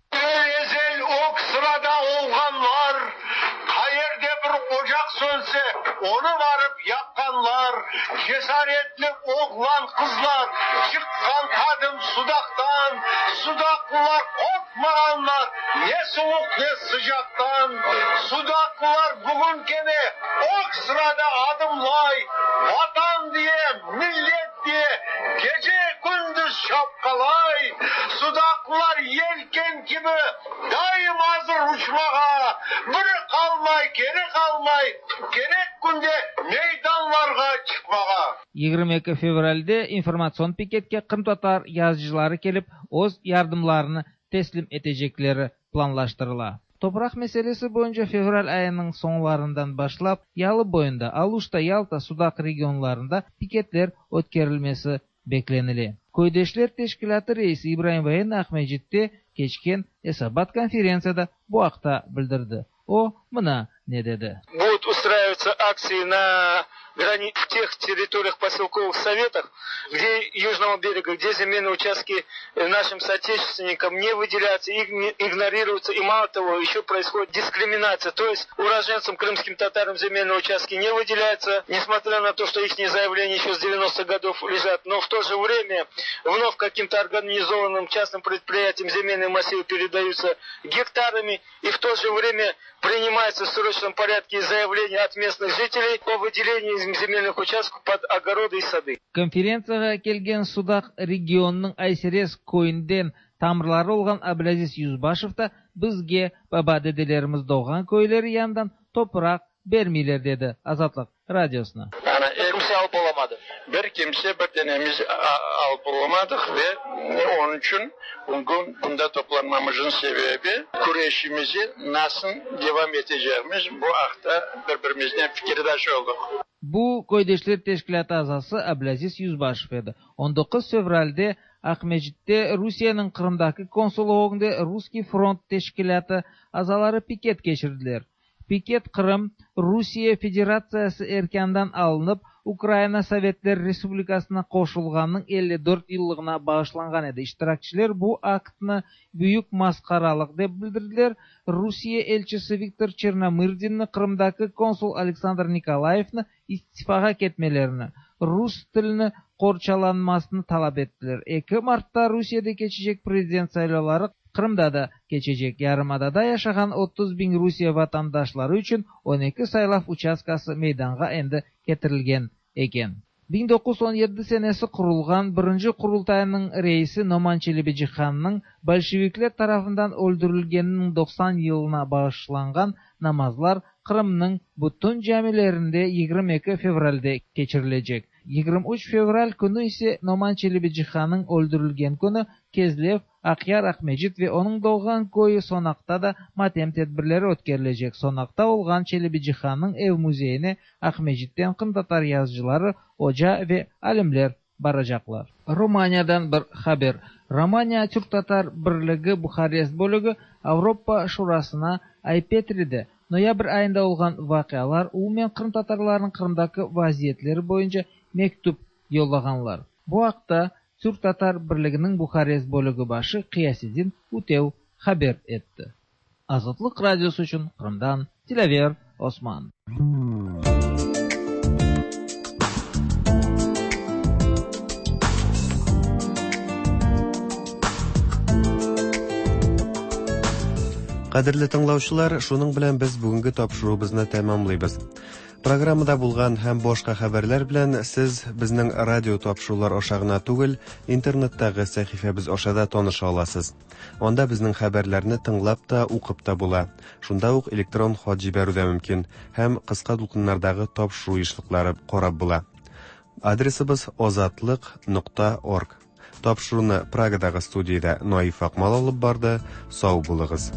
Ezel ög sırada olğanlar, qayerde bir ocaq sönse, onı barıp yaqqanlar, cesaretli oğlan-qızlar, çıqqan qadim Sudaqtan, sudaqlılar qorqmağanlar, ne suvuq, ne sıcaqtan, sudaqlılar bugün kene ög sırada adımlay, Vatan diye, millet diye gece-kündüz çapqalay, sudaqlılar yelken kibi daim azır uçmağa, biri qalmay, keri qalmay, kerek künde meydanlarğa çıqmağa. 22 fevralde informatsion piketke qırımtatar yazıcıları kelip, öz yardımlarını teslim etecekleri planlaştırıla. Topraq meselesi boyunca fevral ayınıñ soñlarından başlap Yalı boyunda, Aluşta, Yalta, Sudaq regionlarında piketler ötkerilmesi beklenile. Köydeşler teşkilâtı reisi İbraim Voyenno Aqmescitte keçken esabat konferentsiyada bu aqta bildirdi. O, mına ne dedi. Будут устраиваться акции на в тех территориях поселковых советах, где Южного берега, где земельные участки нашим соотечественникам не выделяются, игнорируются, и мало того, еще происходит дискриминация. То есть уроженцам, крымским татарам земельные участки не выделяются, несмотря на то, что их заявления еще с 90-х годов лежат, но в то же время вновь каким-то организованным частным предприятиям земельные массивы передаются гектарами, и в то же время принимается в срочном порядке заявление от местных жителей о выделении земельных участков под огороды и сады. Konferentsiyağa kelgen Sudaq regionınıñ Ayserez köyünden tamırları olğan Ablâziz Yüzbaşev da bizge baba-dedelerimiz doğğan köyleri yanından topraq bermeyler, dedi Azatlıq Radiosına. Yani kimse alıp olamadı. Bir kimse bir tanemiz alıp olamadıq ve onıñ içün bugün bunda toplanmamıznıñ sebebi küreşimizi nasıl devam etecegimiz bu aqta bir-birimiznen fikirdaş oldıq. Bu Köydeşler teşkilâtı azası Ablâziz Yüzbaşev edi. 19 fevralde Aqmescitte Rusiyeniñ Qırımdaki konsullığı ögünde Russkiy front teşkilâtı azaları piket keçirdiler. Piket Qırım Rusiye Federatsiyası erkânından alınıp, Ukraina Sovetler Respublikasına qoşulğanınıñ 54 yıllığına bağışlanğan edi. İştirakçiler bu aktnı büyük masqaralıq dep bildirdiler, Rusiye elçisi Viktor Çernomırdinni, Qırımdaki konsul Aleksandr Nikolayevni istifağa ketmelerini, rus tilini qorçalanmasını talap ettiler. Eki martta Rusiyede keçecek prezident saylavları Qırımda da keçecek. Yarımadada yaşağan 30 biñ Rusiye vatandaşları içün 12 saylav uçastkası meydanğa endi ketirilgen eken. 1917 senesi qurulğan birinci Qurultaynıñ reisi Noman Çelebicihannıñ bolşevikler tarafından öldürilgeniniñ 90 yılına bağışlanğan namazlar Qırımnıñ bütün camilerinde 22 fevralde keçirilecek. 23 fevral künü ise Noman Çelebicihannıñ öldürilgen künü Kezlev, Aqyar, Aqmescit ve onıñ doğğan köyü Sonaqta da matem tedbirleri ötkerilecek. Sonaqta olğan Çelebicihannıñ ev-müzeyine Aqmescitten qırımtatar yazıcıları, oca ve alimler baracaqlar. Romaniyadan bir haber. Romaniya Türk-tatar birligi Buharest bölügi Avropa Şurasına Ay-Petride noyabr ayında olğan vaqialar, umumen qırımtatarlarnıñ Qırımdaki vaziyetleri boyunca mektüp yollağanlar. Bu aqta Türk-tatar birliginiñ Buharest bölügi başı Qıyasedin Ütev haber etti. Azatlıq Radiosı içün Qırımdan Dilâver Osman. Кадерле тыңлаучылар, шуның белән без бүгенге тапшыруыбызны тәмамлыйбыз. Программада булган һәм башка хәбәрләр белән сез безнең радио тапшырулар аша гына түгел, интернеттагы сәхифәбез аша да таныша аласыз. Анда безнең хәбәрләрне тыңлап та, укып та була. Шунда ук электрон хат җибәрү дә мөмкин һәм кыска дулкыннардагы тапшыру ешлыклары карап була. Адресыбыз азатлык нокта орг. Тапшыруны Прагадагы студиядә Наиф Акмал алып барды. Сау булыгыз.